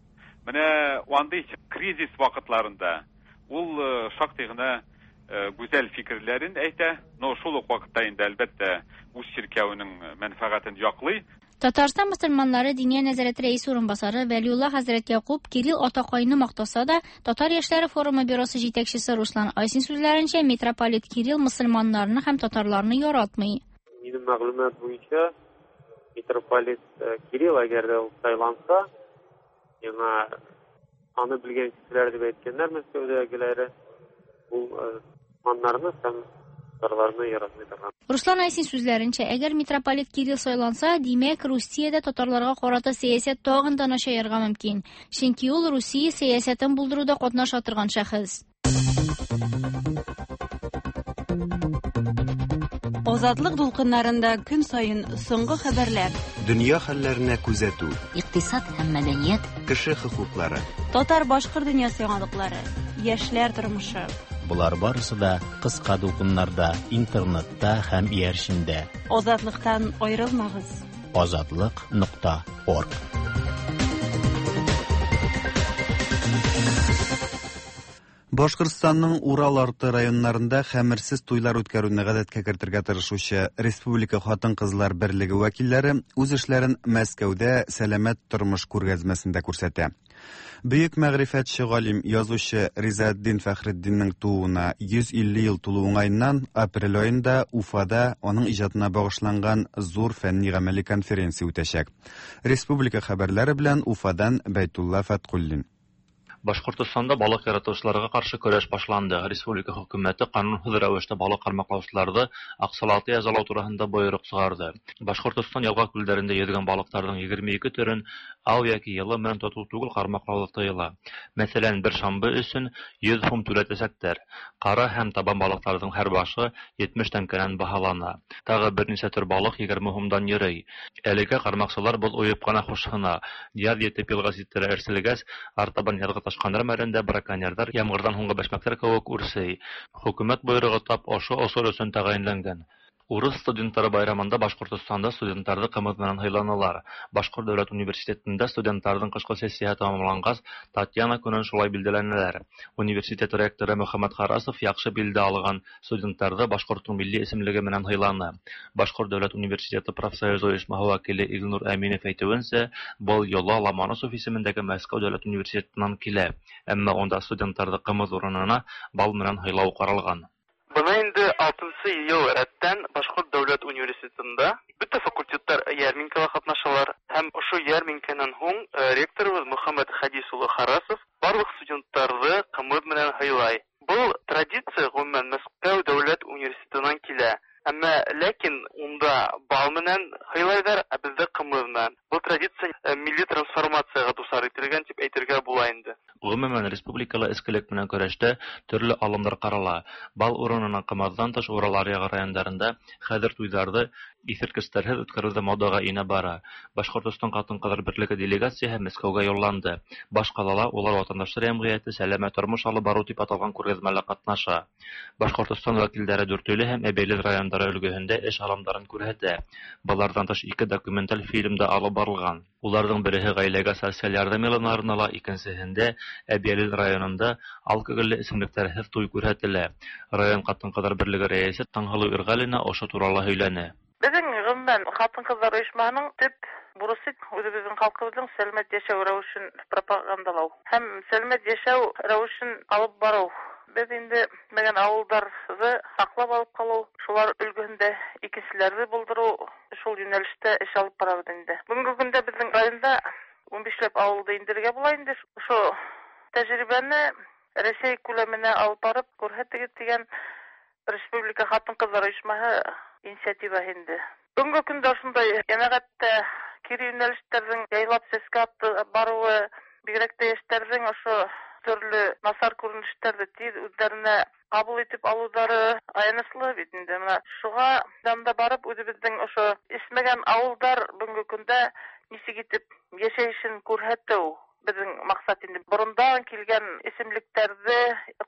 Менә андый кризис вакытларында ул шактый гына гүзәл фикерләрен әйтә, но шул ук вакытта инде әлбәттә үз чиркәвенең мәнфәгатен яклый. Татарстан мөселманнары Диния нәзарәте рәисе урынбасары Вәлиулла хәзрәт Якуб Кирилл атакайны мактаса да, Татар яшьләре форумы бюросы җитәкчесе Руслан Айсин сүзләренчә, митрополит Кирилл мөселманнарны һәм татарларны яратмый. Минем мәгълүмат буенча, митрополит Кирилл әгәр дә ул сайланса, яңа аны белгән кешеләр дип әйткәннәр Мәскәүдәгеләре, ул мөселманнарны һәм татарларны яратмый торган. Руслан Айсин сүзләренчә, әгәр митрополит Кирилл сайланса, димәк, Русиядә татарларга карата сәясәт тагын да начаярга мөмкин. Чөнки ул Русия сәясәтен булдыруда катнаша торган шәхес. Азатлык дулкыннарында көн саен соңгы хәбәрләр. Дөнья хәлләренә күзәтү. Икътисад һәм мәдәният. Кеше хокуклары. Татар-башкорт дөньясы яңалыклары. Яшьләр тормышы. Болар барысы да кыска дулкыннарда, интернетта һәм иярчендә. Азатлыктан аерылмагыз. Азатлык.орг. Башкортстанның Урал арты районнарында хәмерсез туйлар үткәрүне гадәткә кертергә тырышучы Республика хатын-кызлар берлеге вәкилләре үз эшләрен Мәскәүдә сәламәт тормыш күргәзмәсендә күрсәтә. Бөек мәгърифәтче галим, язучы Ризаэтдин Фәхретдиннең тууына 150 ел тулу уңаеннан апрель аенда Уфада аның иҗатына багышланган зур фәнни-гамәли конференция үтәчәк. Республика хәбәрләре белән Уфадан Бәйтулла Фәткуллин. Башкортостанда балык яратучыларга каршы көрәш башланды. Республика хөкүмәте канунһыҙ рәүештә балык ҡармаҡлаусыларҙы аҡсалата язалау тураһында бойороҡ сығарҙы. Башҡортостан ялға күлдәрендә йөҙгән балыҡтарҙың 22 төрөн ау йәки йылы менән тотоу түгел ҡармаҡлау тыйыла. Мәҫәлән, бер шамбы өсөн 100 һум түләтәсәктәр. Ҡара һәм табан балыҡтарҙың һәр башы 70 тәңкәнән баһалана. Тағы бер нисә төр балыҡ 20 һумдан йөрөй. Әлегә ҡармаҡсылар боҙ уйып ҡына хушһына. Яҙ етеп йылға ситтәре әрселгәс, артабан яҙғы ташҡандар мәлендә браконьерҙар ямғырҙан һуңғы бәшмәктәр кеүек үрсей. Хөкүмәт бойороғо тап ошо осор өсөн тәғәйенләнгән. Урыҫ студенттары байрамында Башҡортостанда студенттарҙы ҡымыҙ менән һыйланылар. Башҡорт дәүләт университетында студенттарҙың ҡышҡы сессияһы тамамланғас, Татьяна көнөн шулай билдәләнеләр. Университет ректоры Мөхәммәт Харасов яҡшы билдә алған студенттарҙы башҡорттоң милли исемлеге менән һыйланы. Башҡорт дәүләт университеты профсоюз ойошмаһы вәкиле Илнур Әминев әйтеүенсә, был йола Ломоносов исемендәге Мәскәү дәүләт университетынан килә. Әммә унда студенттарҙы ҡымыҙ урынына бал менән һыйлау ҡаралған. Бына инде 6-нсы йыл рәттән Башҡорт дәүләт университетында бөтә факультеттар йәрминкәлә ҡатнашалар һәм ошо йәрминкәнән һуң ректорыбыҙ Мөхәммәт Хәдис улы Харасов барлыҡ студенттарҙы ҡымыҙ менән һыйлай. Был традиция ғөмүмән Мәскәү дәүләт университетынан килә. Әммә ләкин унда бал менән һыйлайҙар, ә беҙҙә ҡымыҙ менән. Был традиция милли трансформацияға дусар ителгән тип әйтергә була инде. Ғөмүмән, республикала эскелек менән көрәштә төрлө алымдар ҡарала. Бал урынына ҡымыҙҙан тыш Урал аръяғы райондарында хәҙер туйҙарҙы иҫерткестәрһеҙ үткәреү ҙә модаға инә бара. Башҡортостан ҡатын-ҡыҙҙар берлеге делегацияһы Мәскәүгә юлланды. Баш ҡалала улар ватандаштар йәмғиәте сәләмәт тормош алып барыу тип аталған күргәҙмәлә ҡатнаша. Башҡортостан вәкилдәре Дүртөйлө һәм Әбйәлил райондары өлгөһөндә эш алымдарын күрһәтә. Быларҙан тыш 2 документаль фильм да алып барылған. Уларҙың береһе ғаиләгә социаль ярҙам йылына арнала, икенсеһендә Әбйәлил районында алкоголле эсемлектәрһеҙ туй күрһәтелә. Район ҡатын-ҡыҙҙар берлеге рәйесе Таңһылыу Ирғәлина ошо турала һөйләне. Беҙҙең ғөмүмән ҡатын-ҡыҙҙар ойошмаһының төп бурысы үҙебеҙҙең халҡыбыҙҙың сәләмәт йәшәү рәүешен пропагандалау һәм сәләмәт йәшәү рәүешен алып барыу. Беҙ инде мәгән ауылдарҙы һаҡлап алып ҡалыу, шулар өлгөһөндә икенселәрҙе булдырыу, шул йүнәлештә эш алып барабыҙ инде. Бөгөнгө көндә беҙҙең районда 15ләп ауылды индерергә була инде. Ошо тәжрибәне Рәсәй күләменә алып барып күрһәтегеҙ тигән Республика ҡатын-ҡыҙҙар ойошмаһы инициативаһы инде. Бөгөнгө көндә ошондай йәмәғәттә кире йүнәлештәрҙең яйлап сәскә барыуы, бигерәк тә йәштәрҙең ошо төрлө насар күренештәрҙе тиҙ үҙҙәренә ҡабул итеп алыуҙары аяныслы бит инде. Мына шуға янда барып үҙебеҙҙең ошо эсмәгән ауылдар бөгөнгө көндә нисек итеп йәшәйешен күрһәтеү беҙҙең маҡсат инде. Борондан килгән эсемлектәрҙе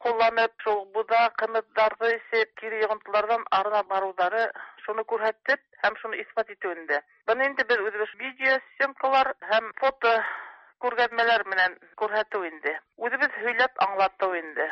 ҡулланып, шул буҙа, ҡымыҙҙарҙы эсеп, кире йоғонтоларҙан арына барыуҙары шуны күрһәтеп һәм шуны иҫбат итеү инде. Быны инде беҙ үҙебеҙ видеосъемкалар һәм фото күргәҙмәләр менән күрһәтеү инде. Үҙебеҙ һөйләп аңлатыу инде.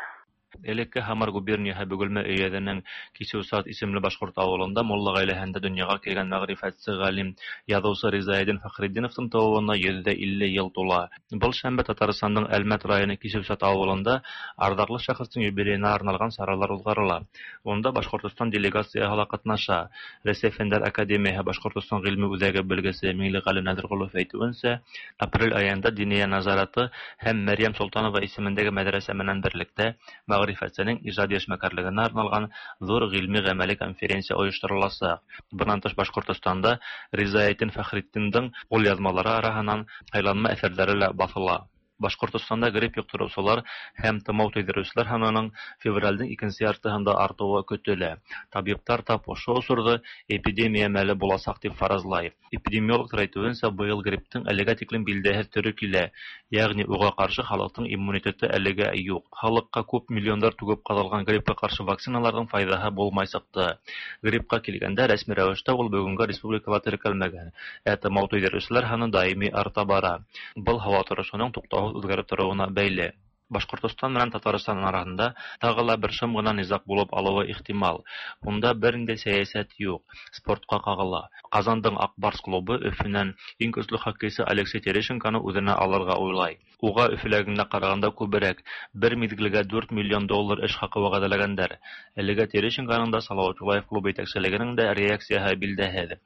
Элекке Һамар губернияһы Бөгөлмә өйәҙенең Кисеүсат исемле башҡорт ауылында мулла ғаиләһендә донъяға килгән мәғрифәтсе ғалим, яҙыусы Ризаэддин Фәхретдиновтың тыуыуына 150 йыл тула. Был шәмбе Татарстандың Әлмәт районы Кисеүсат ауылында арҙаҡлы шәхестең юбилейына арналған саралар уҙғарыла. Унда Башҡортостан делегацияһы ла ҡатнаша. Рәсәй Фәндәр Академияһы Башҡортостан ғилми үҙәге белгесе Миңлеғәле Нәҙерғолов әйтеүенсә, апрель айында Диниә назараты һәм Мәрйәм Солтанова исемендәге мәҙрәсә менән берлектә мәғрифәтсенең ижади эшмәкәрлегенә арналған ҙур ғилми-ғәмәли конференция ойоштороласаҡ. Бынан тыш Башҡортостанда Ризаэддин Фәхретдиндең ҡулъяҙмалары араһынан һайланма әҫәрҙәре лә баҫыла. Башкортостанда грипп йоктыручылар һәм томау тойдыручылар һанының февральдең икенче яртыһында артыуы көтөлә. Табиптар тап ошо осорҙо эпидемия мәле буласаҡ тип фаразлай. Эпидемиологтар әйтеүенсә, быйыл грипптың әлегә тиклем билдәһеҙ төрө килә, йәғни уға ҡаршы халыҡтың иммунитеты әлегә юҡ. Халыҡҡа күп миллиондар түгеп ҡаҙалған гриппка ҡаршы вакциналарҙың файҙаһы булмай сыҡты. Гриппка килгәндә, рәсми рәүештә ул бөгөнгә республикала теркәлмәгән, ә тымау тойҙырыусылар һаны даими арта бара. Был һауа торошоноң туҡтауһыҙ үҙгәреп тороуына бәйле. Башҡортостан менән Татарстан араһында тағы ла бер шым ғына низаҡ булып алыуы ихтимал. Унда бер ниндәй сәйәсәт юҡ, спортҡа ҡағыла. Ҡазандың Аҡ Барс клубы Өфөнән иң көслө хоккейсы Алексей Терещенконы үҙенә алырға уйлай. Уға Өфөләгенә ҡарағанда күберәк, бер миҙгелгә 4 миллион доллар эш хаҡы вәғәҙәләгәндәр. Әлегә Терещенконың да, Салауат Юлаев клубы етәкселегенең дә реакцияһы билдәһеҙ.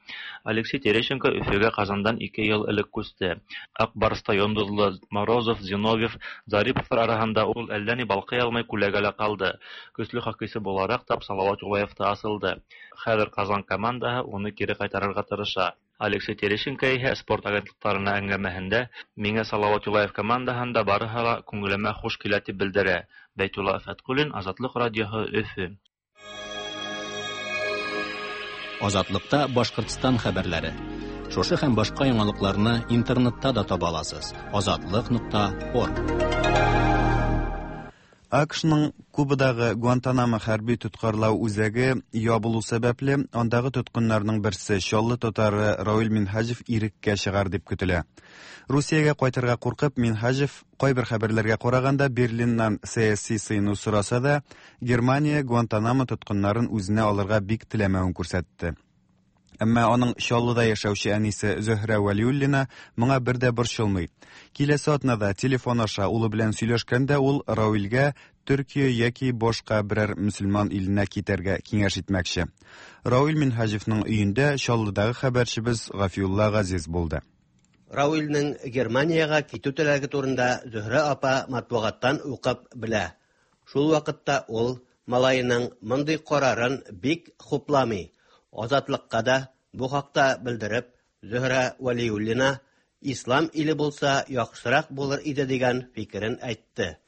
Алексей Терещенко Өфөгә Ҡазандан 2 йыл элек күсте. Аҡ Барста йондоҙло Морозов, Зиновьев, Зариповтар араһында ул әллә ни балҡый алмай күләгәлә ҡалды. Көслө хоккейсы булараҡ тап Салауат Юлаевта асылды. Хәҙер Ҡазан командаһы уны кире ҡайтарырға тырыша. Алексей Терещенко иһә спорт агентлыҡтарына әңгәмәһендә миңә Салауат Юлаев командаһында барыһы ла күңелемә хуш килә тип белдерә. Бәйтулла Фәтҡуллин, Азатлыҡ радиоһы, Өфө. Азатлыкта Башҡортостан хәбәрләре. Шушы һәм башҡа яңалыҡларны интернетта да таба аласыз. Азатлык.орг. АКШның Кубадағы Гуантанамо хәрби тоткарлау үзәге ябылу сәбәпле, андагы тоткыннарның берсе Чаллы татары Равил Минһаҗев иреккә чыгар дип көтелә. Русиягә кайтырга куркып, Минһаҗев кайбер хәбәрләргә караганда Берлиннан сәяси сыйыну сораса да, Германия Гуантанамо тоткыннарын үзенә алырга бик теләмәвен күрсәтте. Әмма аның Чаллыда яшәүче әнисе Зөһрә Вәлиуллина моңа бер дә борчылмый. Киләсе атнада телефон аша улы белән сөйләшкәндә ул Равилгә Төркия яки башка берәр мөселман иленә китәргә киңәш итмәкче. Равил Минһаҗевның өендә Чаллыдагы хәбәрчебез Гафиулла Газиз булды. Равилнең Германиягә китү теләге турында Зөһрә апа матбугаттан укып белә. Шул вакытта ул малаеның мондый карарын бик хупламый. Азатлыкка да бу хакта белдереп, Зөһрә Вәлиуллина ислам иле булса яхшырак булыр иде дигән фикерен әйтте.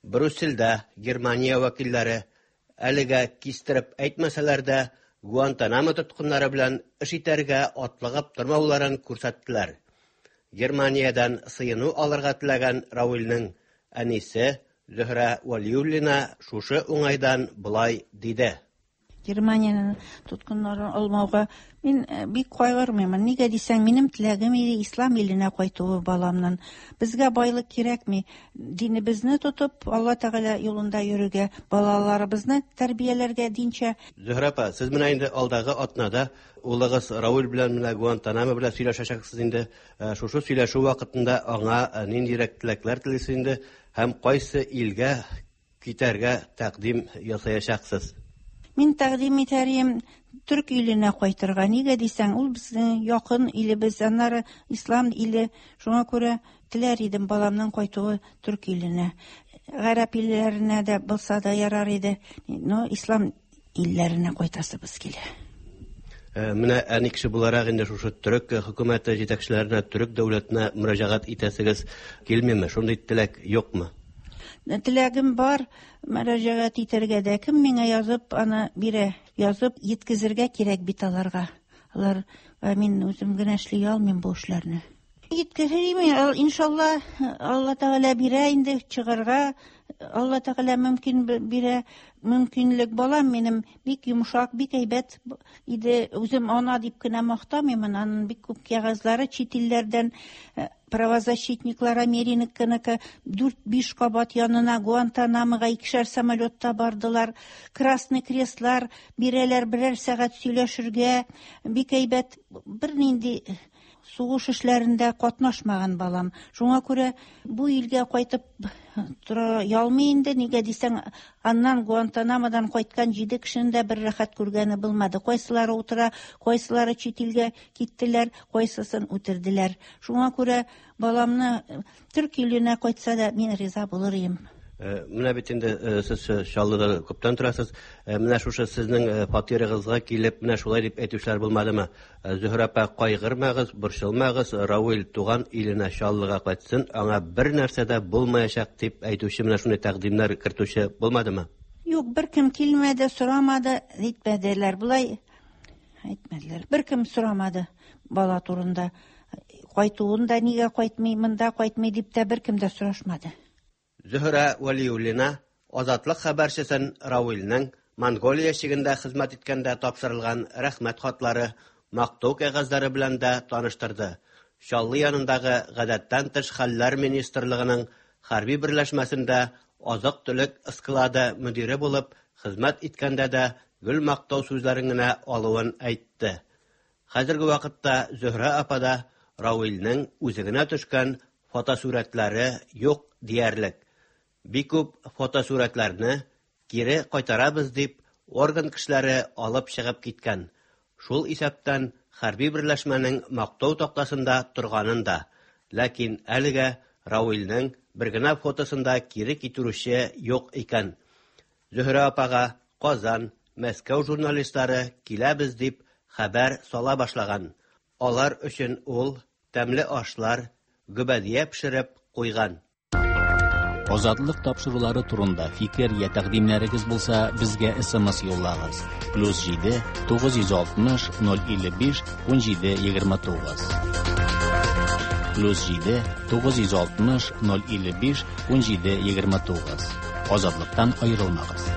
Брюссельдә Германия вәкилләре әлегә кистереп әйтмәсәләр дә, Гуантанамо тоткыннары белән эш итәргә атлыгып тормауларын күрсәттеләр. Германиядән сыену алырга теләгән Равилнең әнисе Зөһрә Вәлиуллина шушы уңайдан болай диде. Германиянең тоткыннарын алмауга мин бик кайгырмыйм. Нигә дисәң, минем теләгем иде ислам иленә кайтуы баламнан. Безгә байлык кирәкми. Динебезне тотып, Алла Тәгалә юлында йөрергә, балаларыбызны тәрбияләргә динчә. Зөһрә апа, сез менә инде алдагы атнада улыгыз Равил белән менә Гуантанамо белән сөйләшәчәксез инде. Шушы сөйләшү вакытында аңа ниндирәк теләкләр телисез инде һәм кайсы илгә китәргә тәкъдим ясаячаксыз? Мин тәкъдим итәрем төрк иленә кайтырга. Нигә дисәң, ул безнең якын илебез, аннары ислам иле. Шуңа күрә теләр идем баламның кайтуы төрк иленә. Гарәп илләренә дә булса да ярар иде. Но ислам илләренә кайтасыбыз килә. Менә әни кеше буларак инде шушы төрек хөкүмәте җитәкчеләренә, төрек дәүләтенә мөрәҗәгать итәсегез килмиме? Шундый теләк юкмы? Теләгем бар, мөрәҗәгать итәргә дә. Кем миңа язып аны бирә? Язып еткезергә кирәк бит аларга. Алар, мин үзем генә эшли алмыйм бу эшләрне. Еткезермен, иншалла, Алла Тәгалә бирә инде чыгарга. Алла Тәгалә мөмкин бирә, мөмкинлек. Балам минем бик йомшак, бик әйбәт иде. Үзем ана дип кенә мактамыйм, аның бик күп кәгазьләре чит илләрдән, правозащитниклар Американыкы 4-5 кабат янына Гуантанамога икешәр самолетта бардылар. Красный Крестлар бирәләр берәр сәгать сөйләшергә. Бик әйбәт, бернинди сугыш эшләрендә катнашмаган балам. Шуңа күрә бу илгә кайтып тора алмый инде. Нигә дисәң, аннан Гуантанамодан кайткан 7 кешенең дә бер рәхәт күргәне булмады. Кайсылары утыра, кайсылары чит илгә киттеләр, кайсысын үтерделәр. Шуңа күрә баламны төрк иленә кайтса да мин риза булыр идем. Менә бит инде сез Чаллыда күптән торасыз. Менә шушы сезнең фатирыгызга килеп, менә шулай дип әйтүчеләр булмадымы? Зөһрә апа, кайгырмагыз, борчылмагыз, Равил туган иленә Чаллыга кайтсын, аңа бер нәрсә дә булмаячак дип әйтүче, менә шундый тәкъдимнәр кертүче булмадымы? Юк, беркем килмәде, сорамады, әйтмәделәр. Болай әйтмәделәр. Беркем сорамады бала турында. Кайтуын да нигә кайтмый, монда кайтмый дип тә беркем дә сорашмады. Зөһрә Вәлиуллина Азатлык хәбәрчесен Равилнең Монголия чигендә хезмәт иткәндә тапшырылган рәхмәт хатлары, мактау кәгазьләре белән дә таныштырды. Чаллы янындагы Гадәттән тыш хәлләр министрлыгының хәрби берләшмәсендә азык-төлек склады мөдире булып хезмәт иткәндә дә гел мактау сүзләрен генә алуын әйтте. Хәзерге вакытта Зөһрә апада Равилнең үзе генә төшкән фотосурәтләре юк диярлек. Бик күп фотосурәтләрне кире кайтарабыз дип орган кешеләре алып чыгып киткән. Шул исәптән хәрби берләшмәнең мактау тактасында торганын да. Ләкин әлегә Равилнең бер генә фотосын да кире китерүче юк икән. Зөһрә апага Казан, Мәскәү журналистлары киләбез дип хәбәр сала башлаган. Алар өчен ул тәмле ашлар, гөбәдия пешереп куйган. Азатлык тапшырулары турында фикер я тәкъдимнәрегез булса, безгә SMS юллагыз. Плюс 7 960 055 17 29. Плюс 7 960 055 17 29. Азатлыктан аерылмагыз.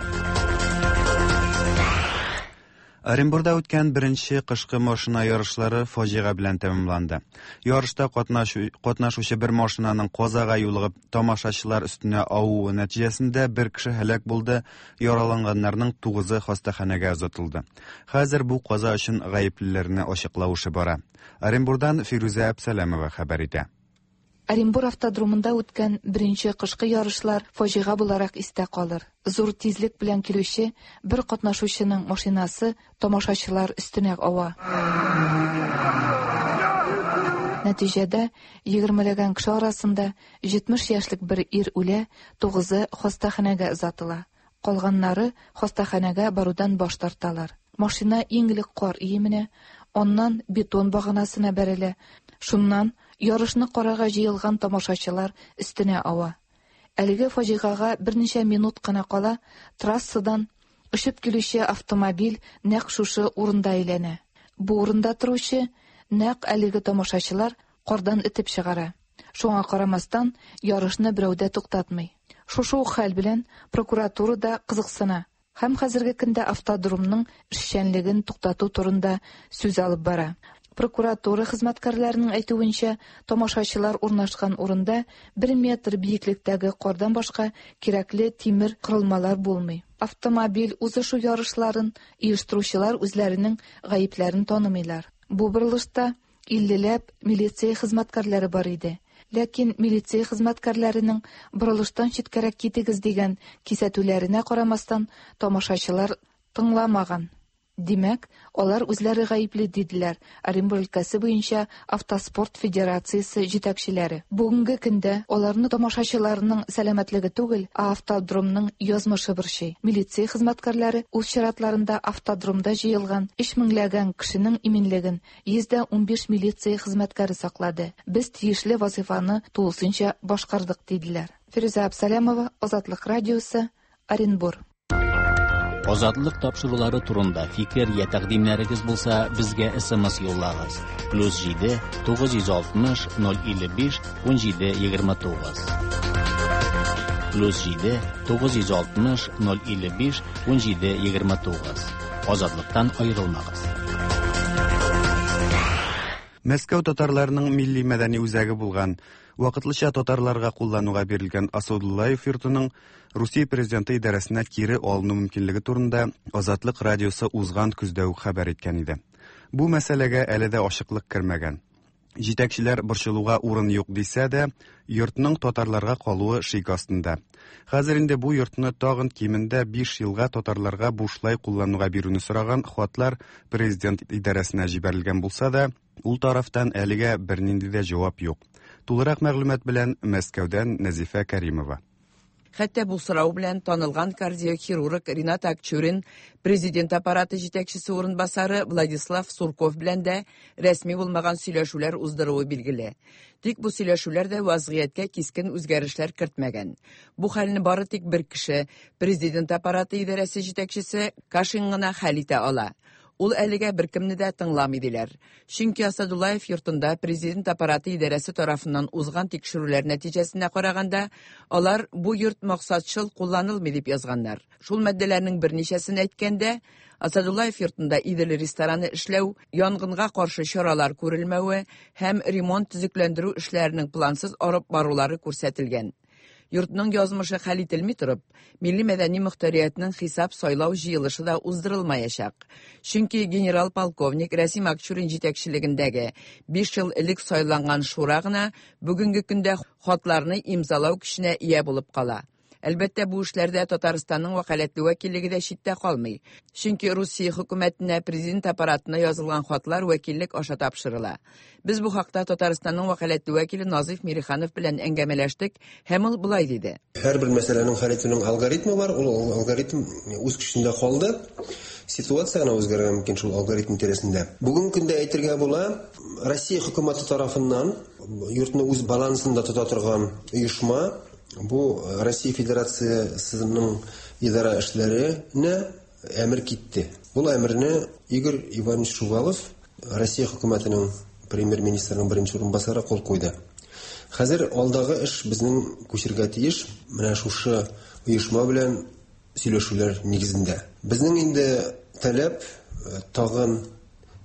Оренбурда үткән беренче кышкы машина ярышлары фаҗига белән тәмамланды. Ярышта катнашучы бер машинаның казага юлыгып тамашачылар өстенә авуы нәтиҗәсендә бер кеше һәлак булды, яраланганнарның тугызы хастаханәгә озатылды. Хәзер бу каза өчен гаеплеләрне ачыклау эше бара. Оренбурдан Фирүзә Әпсәләмова хәбәр итә. Оренбур автодромында үткән беренче кышкы ярышлар фаҗига буларак истә калыр. Зур тизлек белән килүче бер катнашучының машинасы тамашачылар өстенә ава. Нәтиҗәдә, егермеләгән кеше арасында 70 яшьлек бер ир үлә, тугызы хастаханәгә озатыла. Калганнары хастаханәгә барудан баш тарталар. Машина иң элек кар өеменә, аннан бетон баганасына бәрелә. Шуннан ярышны карарга җыелган тамашачылар өстенә ава. Әлеге фаҗигагә берничә минут кына кала трассадан очып килүче автомобиль нәкъ шушы урында әйләнә. Бу урында торучы нәкъ әлеге тамашачылар кардан этеп чыгара. Шуңа карамастан, ярышны берәү дә туктатмый. Шушы ук хәл белән прокуратура да кызыксына һәм хәзерге көндә автодромның эшчәнлеген туктату турында сүз алып бара. Прокуратура хезмәткәрләренең әйтүенчә, тамашачылар урнашкан урында бер метр биеклектәге кардан башка кирәкле тимер корылмалар булмый. Автомобиль узышу ярышларын оештыручылар үзләренең гаепләрен танымыйлар. Бу борылышта иллеләп милиция хезмәткәрләре бар иде. Ләкин милиция хезмәткәрләренең борылыштан читкәрәк китегез дигән кисәтүләренә карамастан, тамашачылар тыңламаган. Димәк, алар үзләре гаепле, диделәр Оренбур өлкәсе буенча Автоспорт федерациясе җитәкчеләре. Бүгенге көндә аларны тамашачыларның сәламәтлеге түгел, ә автодромның язмышы борчый. Милиция хезмәткәрләре үз чиратларында автодромда җыелган өч меңләгән кешенең иминлеген 115 милиция хезмәткәре саклады. Без тиешле вазыйфаны тулысынча башкардык, диделәр. Фирүзә Абсалямова, Азатлык радиосы, Оренбур. Азатлык тапшырулары турында фикер я тәкъдимнәрегез булса, безгә SMS юллагыз. Плюс 7 960 055 17 29. Плюс 7 960 055 17 29. Азатлыктан аерылмагыз. Мәскәү татарларының милли мәдәни үзәге булган, вакытлыча татарларга куллануга бирелгән Асадуллаев йортының Русия президенты идарәсенә кире алыну мөмкинлеге турында Азатлык радиосы узган көздә үк хәбәр иткән иде. Бу мәсьәләгә әле дә ачыклык кермәгән. Җитәкчеләр борчылуга урын юк дисә дә, йортның татарларга калуы шик астында. Хәзер инде бу йортны тагын кимендә 5 елга татарларга бушлай куллануга бирүне сораган хатлар президент идарәсенә җибәрелгән булса да, ул тарафтан әлегә бернинди дә җавап юк. Тулырак мәгълүмат белән Мәскәүдән Нәзифә Кәримова. Хәтта бу сорау белән танылган кардиохирург Ринат Акчурин, президент аппараты җитәкчесе урынбасары Владислав Сурков белән дә рәсми булмаган сөйләшүләр уздыруы билгеле. Тик бу сөйләшүләр дә вазгыятькә кискен үзгәрешләр кертмәгән. Бу хәлне бары тик бер кеше, президент аппараты идарәсе җитәкчесе Кашин гына хәл итә ала. Ул әлегә беркемне дә тыңламый диләр. Чөнки Асадуллаев йортында президент аппараты идарәсе тарафыннан узган тикшерүләр нәтиҗәсенә караганда, алар бу йорт максатчыл кулланылмый дип язганнар. Шул маддәләрнең берничәсен әйткәндә, Асадуллаев йортында Идел рестораны эшләү, янгынга каршы чаралар күрелмәве һәм ремонт-төзекләндерү эшләренең плансыз алып барулары күрсәтелгән. Йортның язмышы хәл ителми торып, милли-мәдәни мохтариятнең хисап-сайлау җыелышы да уздырылмаячак. Чөнки генерал-полковник Рәсим Акчурин җитәкчелегендәге 5 ел элек сайланган шура гына бүгенге көндә хатларны имзалау көченә ия булып кала. Әлбәттә, бу эшләрдә Татарстанның вәкаләтле вәкиллеге дә читтә калмый. Чөнки Русия хөкүмәтенә, президент аппаратына язылган хатлар вәкиллек аша тапшырыла. Без бу хакта Татарстанның вәкаләтле вәкиле Назыйф Мириханов белән әңгәмәләштек һәм ул болай диде. Һәрбер мәсьәләнең хәл итүнең алгоритмы бар, ул алгоритм үз көчендә калды. Ситуация гына үзгәрергә мөмкин шул алгоритм тирәсендә. Бүгенге көндә әйтергә була, Россия хөкүмәте тарафыннан йортны үз балансында тота торган оешма Бу Россия Федерациясенең идарә эшләренә әмер китте. Бу әмерне Игорь Иванович Шувалов, Россия хөкүмәтенең премьер-министрының беренче урынбасары кул куйды. Хәзер алдагы эш безнең күчергә тиеш менә шушы оешма белән сөйләшүләр нигезендә. Безнең инде таләп тагын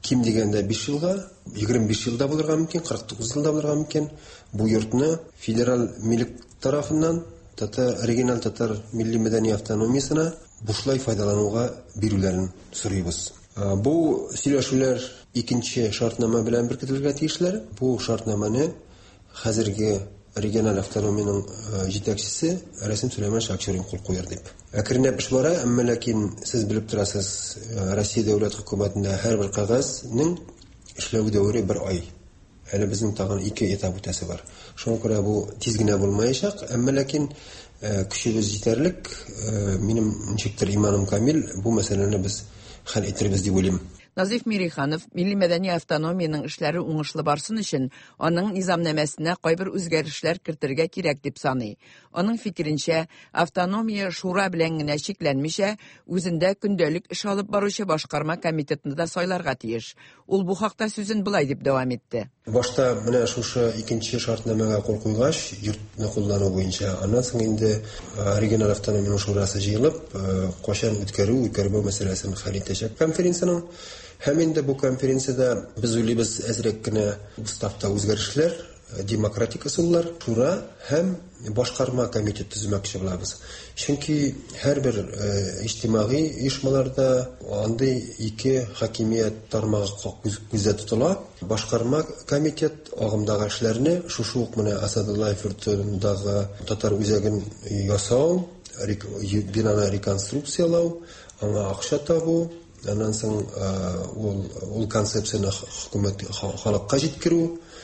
ким дигәндә 5 елга, 25 елда булырга мөмкин, 49 елда булырга мөмкин. Бу йортны федераль милек тарафыннан татар региональ татар милли мәдәни автономиясенә бушлай файдалануга бирүләрен сорыйбыз. Бу сөйләшүләр икенче шартнама белән беркетелергә тиешләр. Бу шартнаманы хәзерге региональ автономиянең җитәкчесе Рәсим Сөләйманович Акчурин кул куяр дип. Әкренләп эш бара, әмма ләкин сез белеп торасыз, Россия дәүләт хөкүмәтендә һәрбер кәгазьнең эшләү дәвере бер ай. Әле безнең тагын ике этап үтәсе бар. Шуңа күрә бу тиз генә булмаячак, әмма ләкин көчебез җитәрлек. Минем ничектер иманым камил, бу мәсьәләне без хәл итербез дип уйлыйм. Назыйф Мириханов милли-мәдәни автономиянең эшләре уңышлы барсын өчен аның низамнамәсенә кайбер үзгәрешләр кертергә кирәк дип саный. Аның фикеренчә, автономия шура белән генә чикләнмичә, үзендә көндәлек эш алып баручы башкарма комитетны да сайларга тиеш. Ул бу хакта сүзен болай дип дәвам итте. Башта менә шушы икенче шартнамәгә кул куйгач, йортны куллану буенча, аннан соң инде региональ автономиянең шурасы җыелып, кайчан үткәрү, үткәрмәү мәсьәләсен хәл итәчәк конференциянең. Һәм инде бу конференциядә без уйлыйбыз әзрәк кенә уставта үзгәрешләр, демократик ысуллар, шура һәм башкарма комитет төземәкче булабыз. Чөнки һәрбер иҗтимагый оешмаларда андый ике хакимият тармагы күздә тотыла. Башкарма комитет агымдагы эшләрне шушы ук менә Асадуллаев йортындагы татар үзәген ясау, бинаны реконструкцияләү, аңа акча табу, аннан соң ул концепцияне хөкүмәт халыкка җиткерү.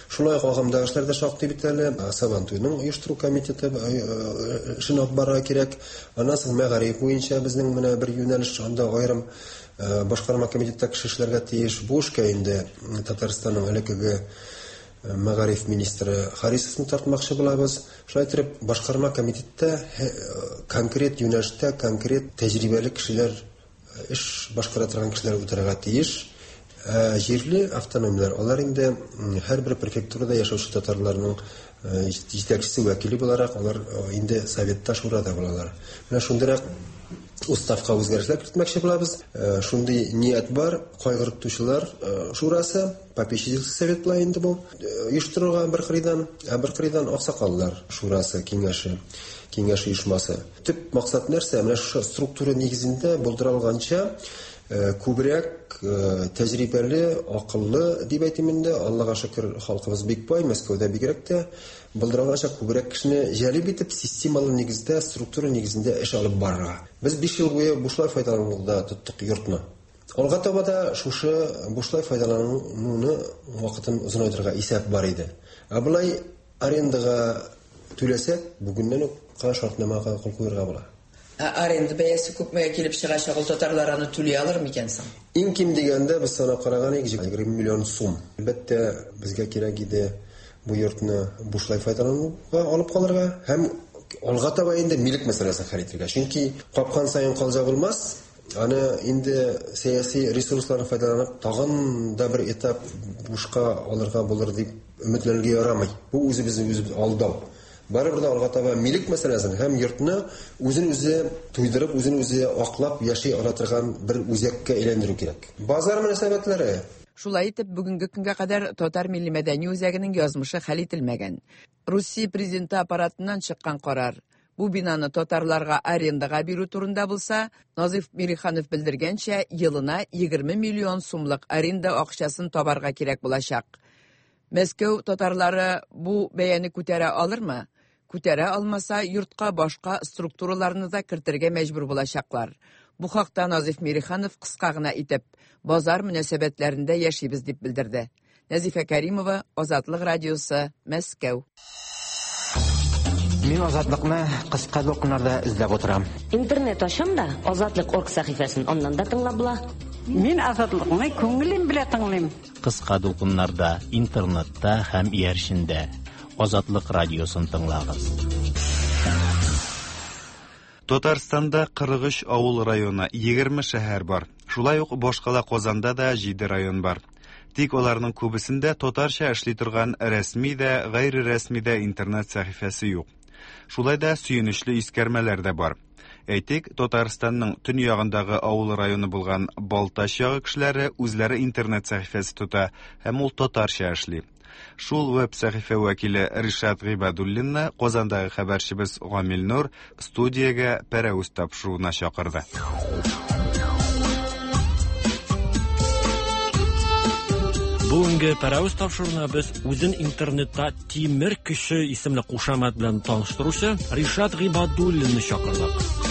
Шулай ук агымдагы эшләр дә шактый бит әле. Сабантуйның оештыру комитеты эшен алып барырга кирәк. Аннан соң мәгариф буенча безнең менә бер юнәлеш, анда аерым башкарма комитетта кеше эшләргә тиеш. Бу эшкә инде Татарстанның элеккеге мәгариф министры Харисовны тартмакчы булабыз. Шулай итеп, башкарма комитетта конкрет юнәлештә конкрет тәҗрибәле кешеләр, эш башкара торган кешеләр утырырга тиеш. Җирле автономияләр, алар инде һәрбер префектурада яшәүче татарларның җитәкчесе вәкиле буларак, алар инде советта, шурада булалар. Менә шундыйрак уставка үзгәрешләр кертмәкче булабыз. Шундый ният бар, кайгыртучылар шурасы, попечительский совет була инде бу, оештырырга бер кырыйдан, ә бер кырыйдан аксакаллар шурасы, киңәше, киңәш оешмасы. Төп максат нәрсә? Менә шушы структура нигезендә булдыра алганча күбрәк тәҗрибәле, акыллы дип әйтим инде. Аллага шөкер, халкыбыз бик бай, Мәскәүдә бигрәк тә булдыра алганча күбрәк кешене җәлеп итеп, системалы нигездә, структура нигезендә эш алып барырга. Без 5 ел буе бушлай файдалануда тоттык йортны. Алга таба да шушы бушлай файдалануны вакытын озынайтырга исәп бар иде. Ә болай арендага түләсәк, бүгеннән үк йортка шартнамага кул куярга була. Ә аренда бәясе күпмегә килеп чыгачак, ул татарлар аны түли алыр микән соң? Иң ким дигәндә без санап караган идек, 20 миллион сум. Әлбәттә, безгә кирәк иде бу йортны бушлай файдалануга алып калырга һәм алга таба инде милек мәсьәләсен хәл итәргә. Чөнки капкан саен калҗа булмас, аны инде сәяси ресурсларны файдаланып тагын да бер этап бушка алырга булыр дип өметләнергә ярамый. Бу үзебезне үзебез алдау. Барыбер дә алга таба милек мәсьәләсен һәм йортны үзен үзе туйдырып, үзен үзе аклап яши ала торган бер үзәккә әйләндерү кирәк. Базар мөнәсәбәтләре. Шулай итеп, бүгенге көнгә кадәр Татар милли мәдәни үзәгенең язмышы хәл ителмәгән. Русия президенты аппаратыннан чыккан карар бу бинаны татарларга арендага бирү турында булса, Назиф Мириханов белдергәнчә, елына 20 миллион сумлык аренда акчасын табарга кирәк булачак. Мәскәү татарлары бу бәяне күтәрә алырмы? Күтәрә алмаса, йортка башка структураларны да кертергә мәҗбүр булачаклар. Бу хакта Назиф Мириханов кыска гына итеп, базар мөнәсәбәтләрендә яшибез дип белдерде. Нәзифә Кәримова, Азатлык радиосы, Мәскәү. Мин Азатлыкны кыска дулкыннарда эзләп утырам. Интернет ачам да, Азатлык орг сәхифәсен аннан да тыңлап була. Мин Азатлыкны күңелем белән тыңлыйм. Кыска дулкыннарда, интернетта һәм иярчендә. Азатлык радиосын тыңлагыз. Татарстанда 43 авыл районы, 20 шәһәр бар. Шулай ук башкала Казанда да 7 район бар. Тик аларның күбесендә татарча эшли торган рәсми дә, гайре рәсми дә интернет сәхифәсе юк. Шулай да сөенечле искәрмәләр дә бар. Әйтик, Татарстанның төньягындагы авыл районы булган Балтач ягы кешеләре үзләре интернет сәхифәсе тота һәм ул татарча эшли. Шул веб сәхифә вәкиле Ришат Гыйбадуллинны Казандагы хәбәрчебез Гамил Нур студиягә пәрәвез тапшыруына чакырды. Бүгенге пәрәвез тапшыруына без үзен интернетта Тимер көче исемле кушамат белән таныштыручы Ришат Гыйбадуллинны чакырдык.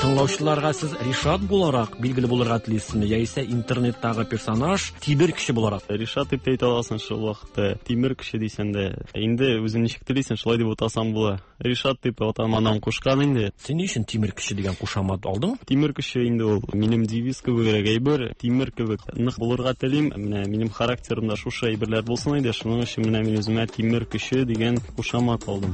Тыңлаучыларга сез Ришат буларак билгеле булырга телисезме, яисә интернеттагы персонаж Тимер көче буларак? Ришат дип тә әйтә аласың шул вакытта. Тимер көче дисәң дә, инде үзең ничек телисең, шулай дип атасаң була. Ришат дип атам анам кушкан инде. Син ни өчен Тимер көче дигән кушамат алдың? Тимер көче инде ул минем девиз кебегрәк әйбер. Тимер кебек нык булырга телим. Менә минем характерымда шушы әйберләр булсын иде. Шуның өчен менә мин үземә Тимер көче дигән кушамат алдым.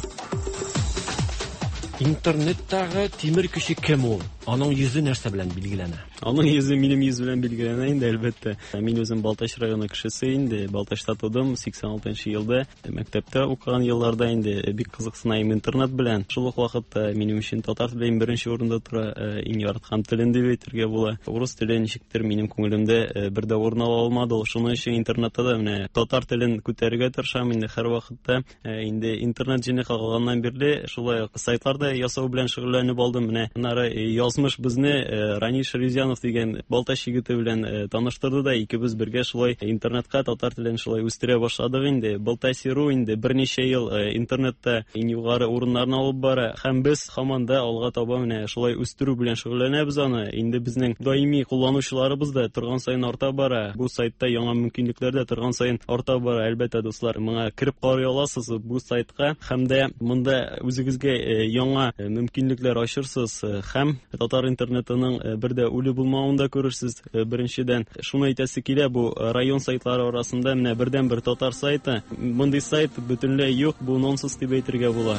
Интернеттагы Тимер көче кем ул? Аның йөзе нәрсә белән билгеләнә? Аның йөзе минем йөз белән билгеләнә инде, әлбәттә. Мин үзем Балтач районы кешесе инде. Балтачта тудым, 86 елда. Мәктәптә укыган елларда инде бик кызыксына идем интернет белән. Шул ук вакытта минем өчен татар теле иң беренче урында тора, иң яраткан телем дип әйтергә була. Урыс теле ничектер минем күңелемдә бер дә урын ала алмады. Шуның өчен интернетта да менә татар телен күтәрергә тырышам инде һәрвакытта. Инде интернет җене кагылганнан бирле шулай ук сайтларда ясау белән шөгыльләнеп алдым. Менә аннары язмыш безне Ранил Шәрифзянов дигән Балтач егете белән таныштырды да, икебез бергә шулай интернетка татар телен шулай үстерә башладык инде. Балтасиру инде берничә ел интернетта иң югары урыннарны алып бара һәм без һаман да алга таба менә шулай үстерү белән шөгыльләнәбез аны. Инде безнең даими кулланучыларыбыз да торган саен арта бара. Бу сайтта яңа мөмкинлекләр дә торган саен арта бара. Әлбәттә, дуслар, моңа кереп карый аласыз бу сайтка һәм дә монда үзегезгә яңа мөмкинлекләр ачырсыз һәм татар интернетының бер дә үле булмавын да күрерсез. Беренчедән, шуны әйтәсе килә, бу район сайтлары арасында менә бердән-бер татар сайты. Мондый сайт бөтенләй юк, бу нонсенс дип әйтергә була.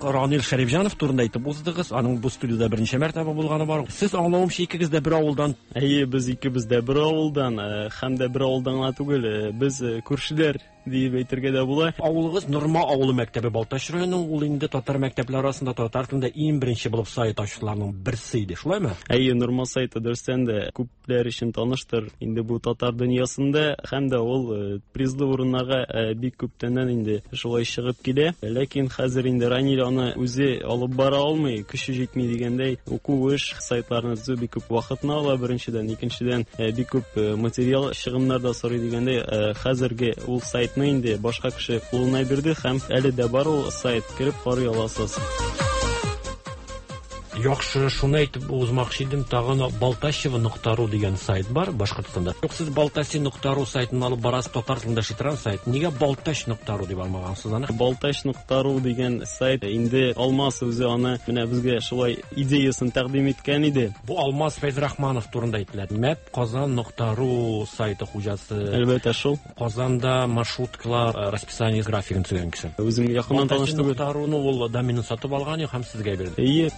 Ранил Шәрифҗанов турында әйтеп уздыгыз. Аның бу студияда берничә мәртәбә булганы бар. Сез аңлавымча икегез дә бер авылдан. Әйе, без икебез дә бер авылдан, һәм дә бер авылдан гына түгел, без күршеләр диеп әйтергә дә була. Авылыгыз Норма авылы мәктәбе Балтач районы, ул инде татар мәктәпләре арасында татар телендә иң беренче булып сайт ачучыларның берсе иде, шулаймы? Әйе, Норма сайты дөрестән дә күпләр өчен таныштыр. Инде бу татар дөньясында һәм дә ул призлы урыннарга бик күптәннән инде шулай чыгып килә. Ләкин хәзер инде Ранил аны үзе алып бара алмый, көче җитми дигәндәй, уку эш сайтларны төзү бик күп вакытны ала беренчедән, икенчедән бик күп материал чыгымнар да сорый дигәндәй, хәзерге ул сайтны инде башка кеше кулына бирде һәм әле дә бар ул сайт, кереп карый аласыз. Яхшы, шуны әйтеп узмакчы идем, тагын Балтачево.ру дигән сайт бар Башкортстанда. Юк, сез Балтаси.ру сайтын алып барасыз, татар телендә эшли торган сайт. Нигә Балтач.ру дип алмагансыз аны? Балтач.ру дигән сайт инде Алмаз үзе аны менә безгә шулай идеясын тәкъдим иткән иде. Бу Алмаз Фәйзрахманов турында әйтелә. Мәп Казан.ру сайты хуҗасы. Әлбәттә, шул. Казанда маршруткалар расписание графигын төзегән кеше. Үзем якыннан таныш түгел. Балтаси.руны ул доменын сатып алган һәм сезгә бирде. Әйе.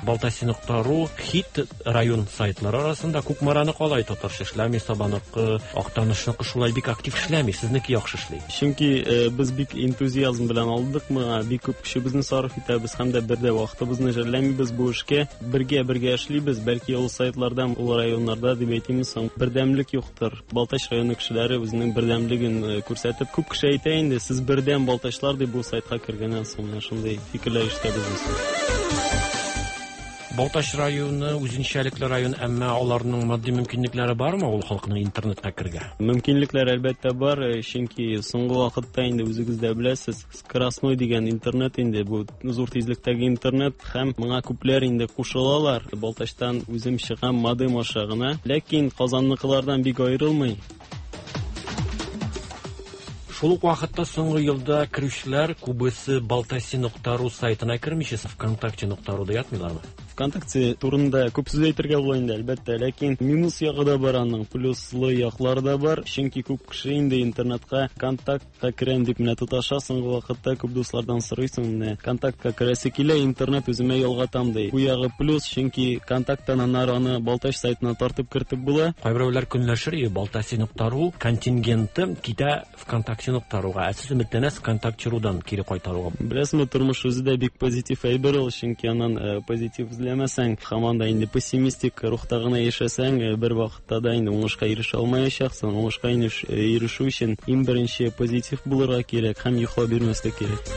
Балтаси.ру хит район сайтлары арасында Кукмараны калай татарча эшләми, Сабаныкы, Актанышныкы шулай бик актив эшләми, сезнеке яхшы эшли. Чөнки без бик энтузиазм белән алдык моңа, бик күп көчебезне сарыф итәбез һәм дә бер дә вакытыбызны жәлләмибез бу эшкә. Бергә-бергә эшлибез, бәлки ул сайтларда, ул районнарда дип әйтимме соң, бердәмлек юктыр. Балтач районы кешеләре үзенең бердәмлеген күрсәтеп, күп кеше әйтә инде, сез бердәм балтачлар дип бу сайтка кергәннән соң менә шундый фикерләр ишетәбез без. Балтач районы үзенчәлекле район, әмма аларның матди мөмкинлекләре бармы ул халыкның интернетка кергә? Мөмкинлекләр әлбәттә бар, чөнки соңгы вакытта инде үзегез дә беләсез, скоростной дигән интернет инде бу зур тизлектәге интернет һәм моңа күпләр инде кушылалар. Балтачтан үзем чыгам модем аша гына, ләкин Казанныкылардан бик аерылмый. Шул ук вакытта соңгы елда керүчеләр күбесе Балтаси.ру сайтына кермичә ВКонтакте.руда ятмыйлармы? ВКонтакте турында күп сүз әйтергә була инде, әлбәттә, ләкин минус ягы да бар аның, плюслы яклары да бар. Чөнки күп кеше инде интернетка контактка керәм дип менә тоташа. Соңгы вакытта күп дуслардан сорыйсың, менә контактка керәсе килә, интернет үземә ялгатам ди. Бу ягы плюс, чөнки контакттан аннары аны Балтач сайтына тартып кертеп була. Кайберәүләр көнләшер, Балтаси.ру контингенты китә ВКонтакте.руга. Ә сез өметләнәсез ВКонтакте.рудан кире кайтаруга? Беләсезме, тормыш үзе дә бик позитив әйбер ул, чөнки аннан позитив эзләмәсәң, һаман да инде пессимистик рухта гына яшәсәң, бер вакытта да инде уңышка ирешә алмаячаксың. Уңышка ирешү өчен иң беренче позитив булырга кирәк һәм йоклап бирмәскә кирәк.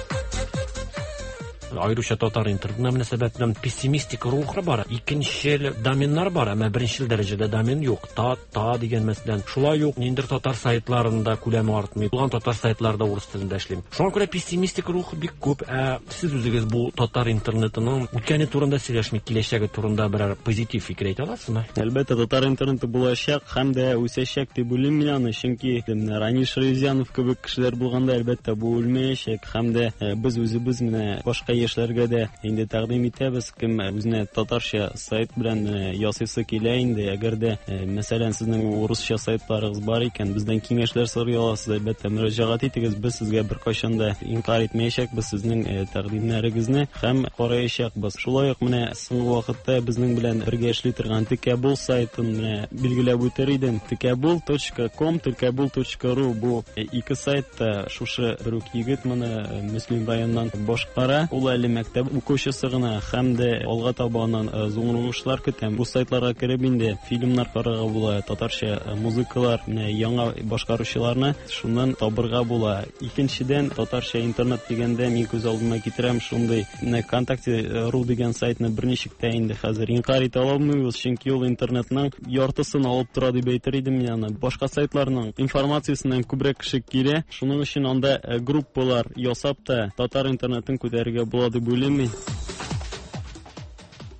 Аеруча татар интернетына мөнәсәбәт белән пессимистик рух бар. Икенчел доменнар бар, әмма беренчел дәрәҗәдә домен юк. Та, та дигән мәсәлән. Шулай ук ниндидер татар сайтларында күләме артмый. Булган татар сайтларда урыс телендә эшлим. Шуңа күрә пессимистик рух бик күп. Ә сез үзегез бу татар интернетының үткәне турында сөйләшми, киләчәге турында берәр позитив фикер әйтә аласызмы? Әлбәттә, татар интернеты булачак һәм дә үсәчәк дип уйлыйм мин аны, чөнки менә Ранил Шәрифзянов кебек кешеләр булганда, әлбәттә, бу үлмәячәк һәм дә без үзебез менә башка яшьләргә дә инде тәкъдим итәбез, кем үзенә татарча сайт белән ясыйсы килә инде, әгәр дә, мәсәлән, сезнең урысча сайтларыгыз бар икән, бездән киңәшләр сорый аласыз, әлбәттә, мөрәҗәгать итегез, без сезгә беркайчан да инкарь итмәячәкбез сезнең тәкъдимнәрегезне һәм караячакбыз. Шулай ук менә соңгы вакытта безнең белән бергә эшли торган Текәбул сайтын менә билгеләп үтер идем. Текәбул.ком, текәбул.ру бу ике сайтта шушы бер үк егет моны Мөслим районыннан башкара. Ул әле мәктәп укучысы гына һәм дә алга таба аннан зур уңышлар көтәм. Бу сайтларга кереп инде фильмнар карарга була, татарча музыкалар, менә яңа башкаручыларны шуннан табырга була. Икенчедән, татарча интернет дигәндә мин күз алдыма китерәм шундый менә ВКонтакте.ру дигән сайтны берничек тә инде хәзер инкарь итә алмыйбыз, чөнки ул интернетның яртысын алып тора дип әйтер идем мин аны. Башка сайтларның информациясеннән күбрәк кеше килә. Шуның өчен анда группалар ясап та татар интернетын күтәрергә була дип уйлыйм мин.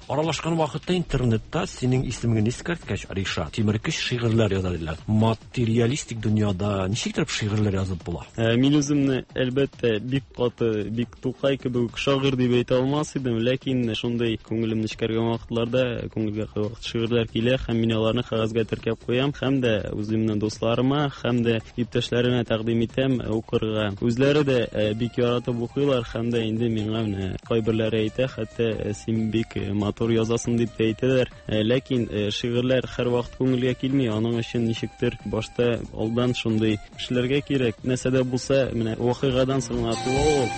Аралашкан вакытта интернетта синең исемеңне искәрткәч, Ришат, тимеркүч шигырьләр яза диләр. Материалистик дөньяда ничек итеп шигырьләр язып була? Мин үземне, әлбәттә, бик каты, бик Тукай кебек үк шагыйрь дип әйтә алмас идем, ләкин шундый күңелем нечкәргән вакытларда күңелгә кайвакыт шигырьләр килә һәм мин аларны кәгазьгә теркәп куям һәм дә үземнең дусларыма һәм дә иптәшләремә тәкъдим итәм укырга. Үзләре дә бик яратып укыйлар һәм дә инде миңа менә кайберләре әйтә, хәтта син бик матур язасың дип тә әйтәләр. Ләкин шигырьләр һәрвакыт күңелгә килми, аның өчен ничектер башта алдан шундый эшләргә кирәк. Нәрсә дә булса, менә вакыйгадан соң гына туа ул.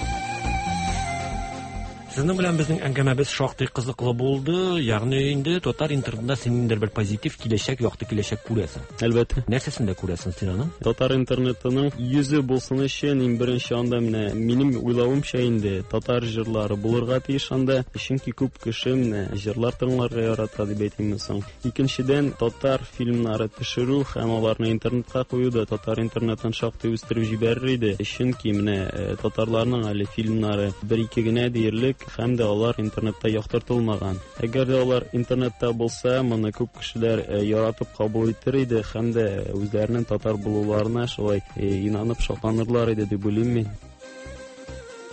Сезнең белән безнең әңгәмәбез шактый кызыклы булды. Ягъни инде татар интернетында син ниндидер бер позитив киләчәк, якты киләчәк күрәсең. Әлбәттә. Нәрсәсен дә күрәсең син аның? Татар интернетының йөзе булсын өчен иң беренче анда менә минем уйлавымча инде татар җырлары булырга тиеш анда. Чөнки күп кеше менә җырлар тыңларга ярата дип әйтимме соң. Икенчедән, татар фильмнары төшерү һәм аларны интернетка кую да татар интернетын шактый үстереп җибәрер иде. Чөнки менә татарларның әле фильмнары бер-ике генә диярлек. һәм дә алар интернетта яктыртылмаган. Әгәр дә алар интернетта булса, моны күп кешеләр яратып кабул итер иде һәм дә үзләренең татар булуларына шулай инанып шатланырлар иде дип уйлыйм мин.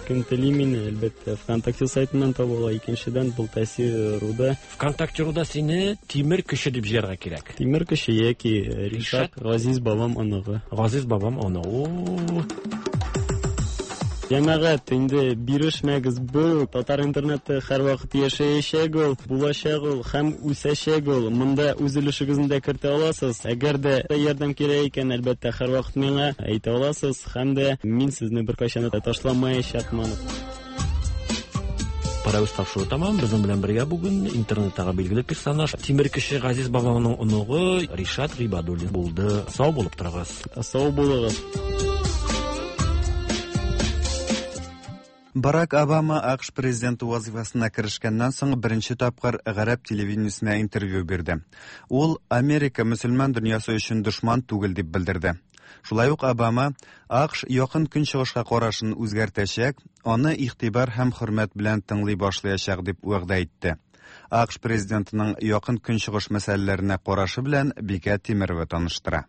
Кем тели мине, әлбәттә, ВКонтакте сайтыннан таба ала. Икенчедән, был Тәэсир.руда. ВКонтакте.руда сине Тимер көче дип җыярга кирәк. Тимер көче яки Ришат Газиз бабам оныгы. Газиз бабам оныгы. Җәмәгать, инде бирешмәгез, бу татар интернеты һәрвакыт яшәячәк ул, булачак ул һәм үсәчәк ул. Монда үз өлешегезне дә кертә аласыз. Әгәр дә ярдәм кирәк икән, әлбәттә, һәрвакыт миңа әйтә аласыз һәм дә мин сезне беркайчан да ташламаячакмын. Парәвез тапшыру тәмам. Безнең белән бергә бүген интернеттагы билгеле персонаж Тимер кеше Газиз бабаңның оныгы Ришат Гыйбадуллин булды. Сау булып торыгыз. Сау булыгыз. Барак Обама АКШ президенты вазифасына керешкәннән соң беренче тапкыр гарәп телевидениесенә интервью бирде. Ул Америка мөселман дөньясы өчен дошман түгел дип белдерде. Шулай ук Обама АКШ якын көнчыгышка карашын үзгәртәчәк, аны игътибар һәм хөрмәт белән тыңлый башлаячак дип вәгъдә итте. АКШ президентының якын көнчыгыш мәсьәләләренә карашы белән Бикә Тимерова таныштыра.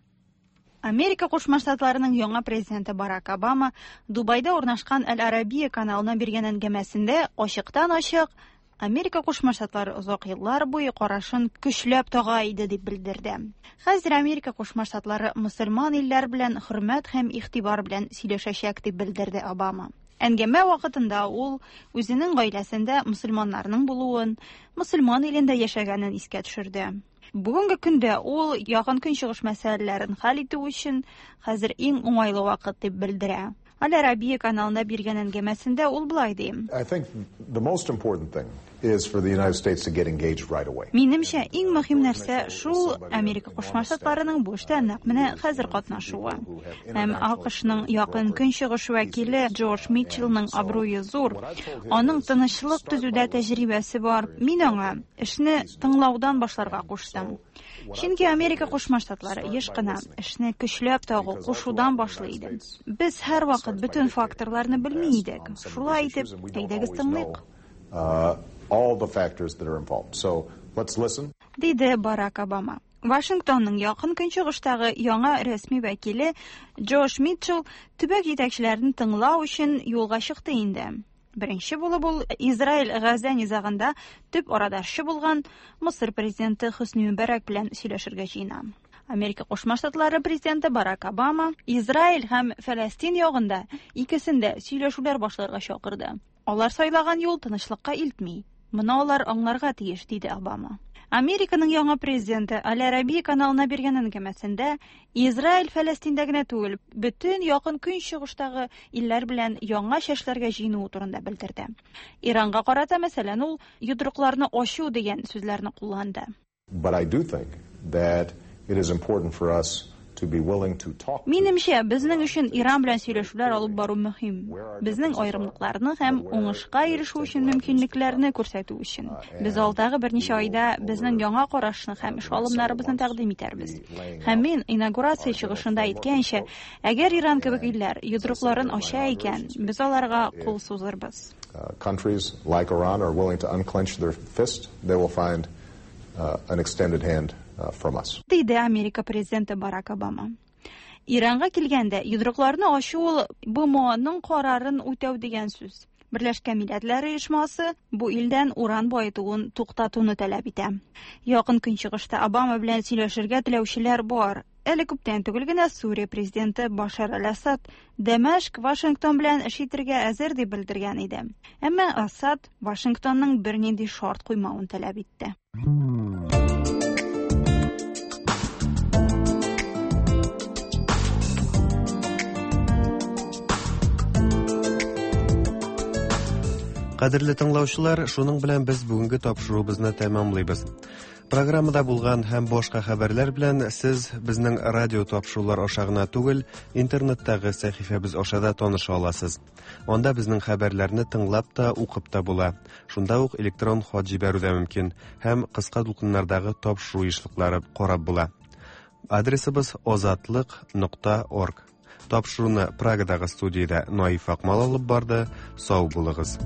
Америка Кушма Штатларының яңа президенты Барак Обама Дубайда урнашкан Әл-Арабия каналына биргән әңгәмәсендә ачыктан-ачык Америка Кушма Штатлары озак еллар буе карашын көчләп тага иде дип белдерде. Хәзер Америка Кушма Штатлары мөселман илләр белән хөрмәт һәм игътибар белән сөйләшәчәк дип белдерде Обама. Әңгәмә вакытында ул үзенең гаиләсендә мөселманнарның булуын, мөселман илендә яшәгәнен искә төшерде. Бүгенге көндә ул Якын Көнчыгыш мәсьәләләрен хәл итү өчен хәзер иң уңайлы вакыт дип белдерә. Аль-Арабия каналына биргән әңгәмәсендә ул болай ди. Минемчә, иң мөһим нәрсә шул Америка Кушма Штатларының бу эштә нәкъ менә хәзер катнашуы. Һәм АКШның Якын Көнчыгыш вәкиле Джордж Митчеллның абруе зур. Аның тынычлык төзүдә тәҗрибәсе бар. Мин аңа эшне тыңлаудан башларга куштым. Чөнки Америка Кушма Штатлары еш кына эшне көчләп тагу, кушудан башлый иде. Без һәрвакыт бөтен факторларны белми идек. Шулай итеп, әйдәгез тыңлыйк. Диде Барак Обама. Вашингтонның Якын Көнчыгыштагы яңа рәсми вәкиле Джош Митчелл төбәк җитәкчеләрен тыңлау өчен юлга чыкты инде. Беренче булып ул Израиль-Газа низагында төп арадашчы булган Мысыр президенты Хөсни Мөбәрәк белән сөйләшергә җыена. Америка Кушма Штатлары президенты Барак Обама Израиль һәм Фәләстин ягында икесен дә сөйләшүләр башларга чакырды. Алар сайлаган юл тынычлыкка илтми. Моны алар аңларга тиеш, диде Обама. Американың яңа президенты Аль-Арабия каналына биргән әңгәмәсендә Израиль Фәләстиндә генә түгел, бөтен Якын Көнчыгыштагы илләр белән яңа чәшләргә җыенуы турында белдерде. Иранга карата, мәсәлән, ул йодрыкларны ачу дигән сүзләрне кулланды. But I do think that it is important for us to be willing to talk. Минемчә, безнең өчен Иран белән сөйләшүләр алып бару мөһим. Безнең аерымлыкларны һәм уңышка ирешү өчен мөмкинлекләрне күрсәтү өчен. Без алдагы берничә айда безнең яңа карашны һәм эш алымнарыбызны тәкъдим итәрбез. Һәм мин инаугурация чыгышында әйткәнчә, әгәр Иран кебек илләр йодрыкларын ача икән, без аларга кул сузырбыз. Countries like Iran are willing to unclench their fist, they will find an extended hand from us. Диде Америка президенты Барак Обама. Иранга килгәндә, йодрыкларны ачу ул БМОның карарын үтәү дигән сүз. Берләшкән Милләтләр Оешмасы бу илдән уран баетуын туктатуны таләп итә. Якын Көнчыгышта Обама белән сөйләшергә теләүчеләр бар. Әле күптән түгел генә Сүрия президенты Башар аль-Асад Дәмәшк Вашингтон белән эш итергә әзер дип белдергән иде. Әмма Асад Вашингтонның бернинди шарт куймавын таләп итте. Кадерле тыңлаучылар, шуның белән без бүгенге тапшыруыбызны тәмамлыйбыз. Программада булган һәм башка хәбәрләр белән сез безнең радио тапшырулар аша гына түгел, интернеттагы сәхифәбез аша да таныша аласыз. Анда безнең хәбәрләрне тыңлап та, укып та була. Шунда ук электрон хат җибәрү дә мөмкин һәм кыска дулкыннардагы тапшыру ешлыклары карап була. Адресыбыз озатлык.орг. Тапшыруны Прагадагы студиядә Наиф Акмал алып барды. Сау булыгыз.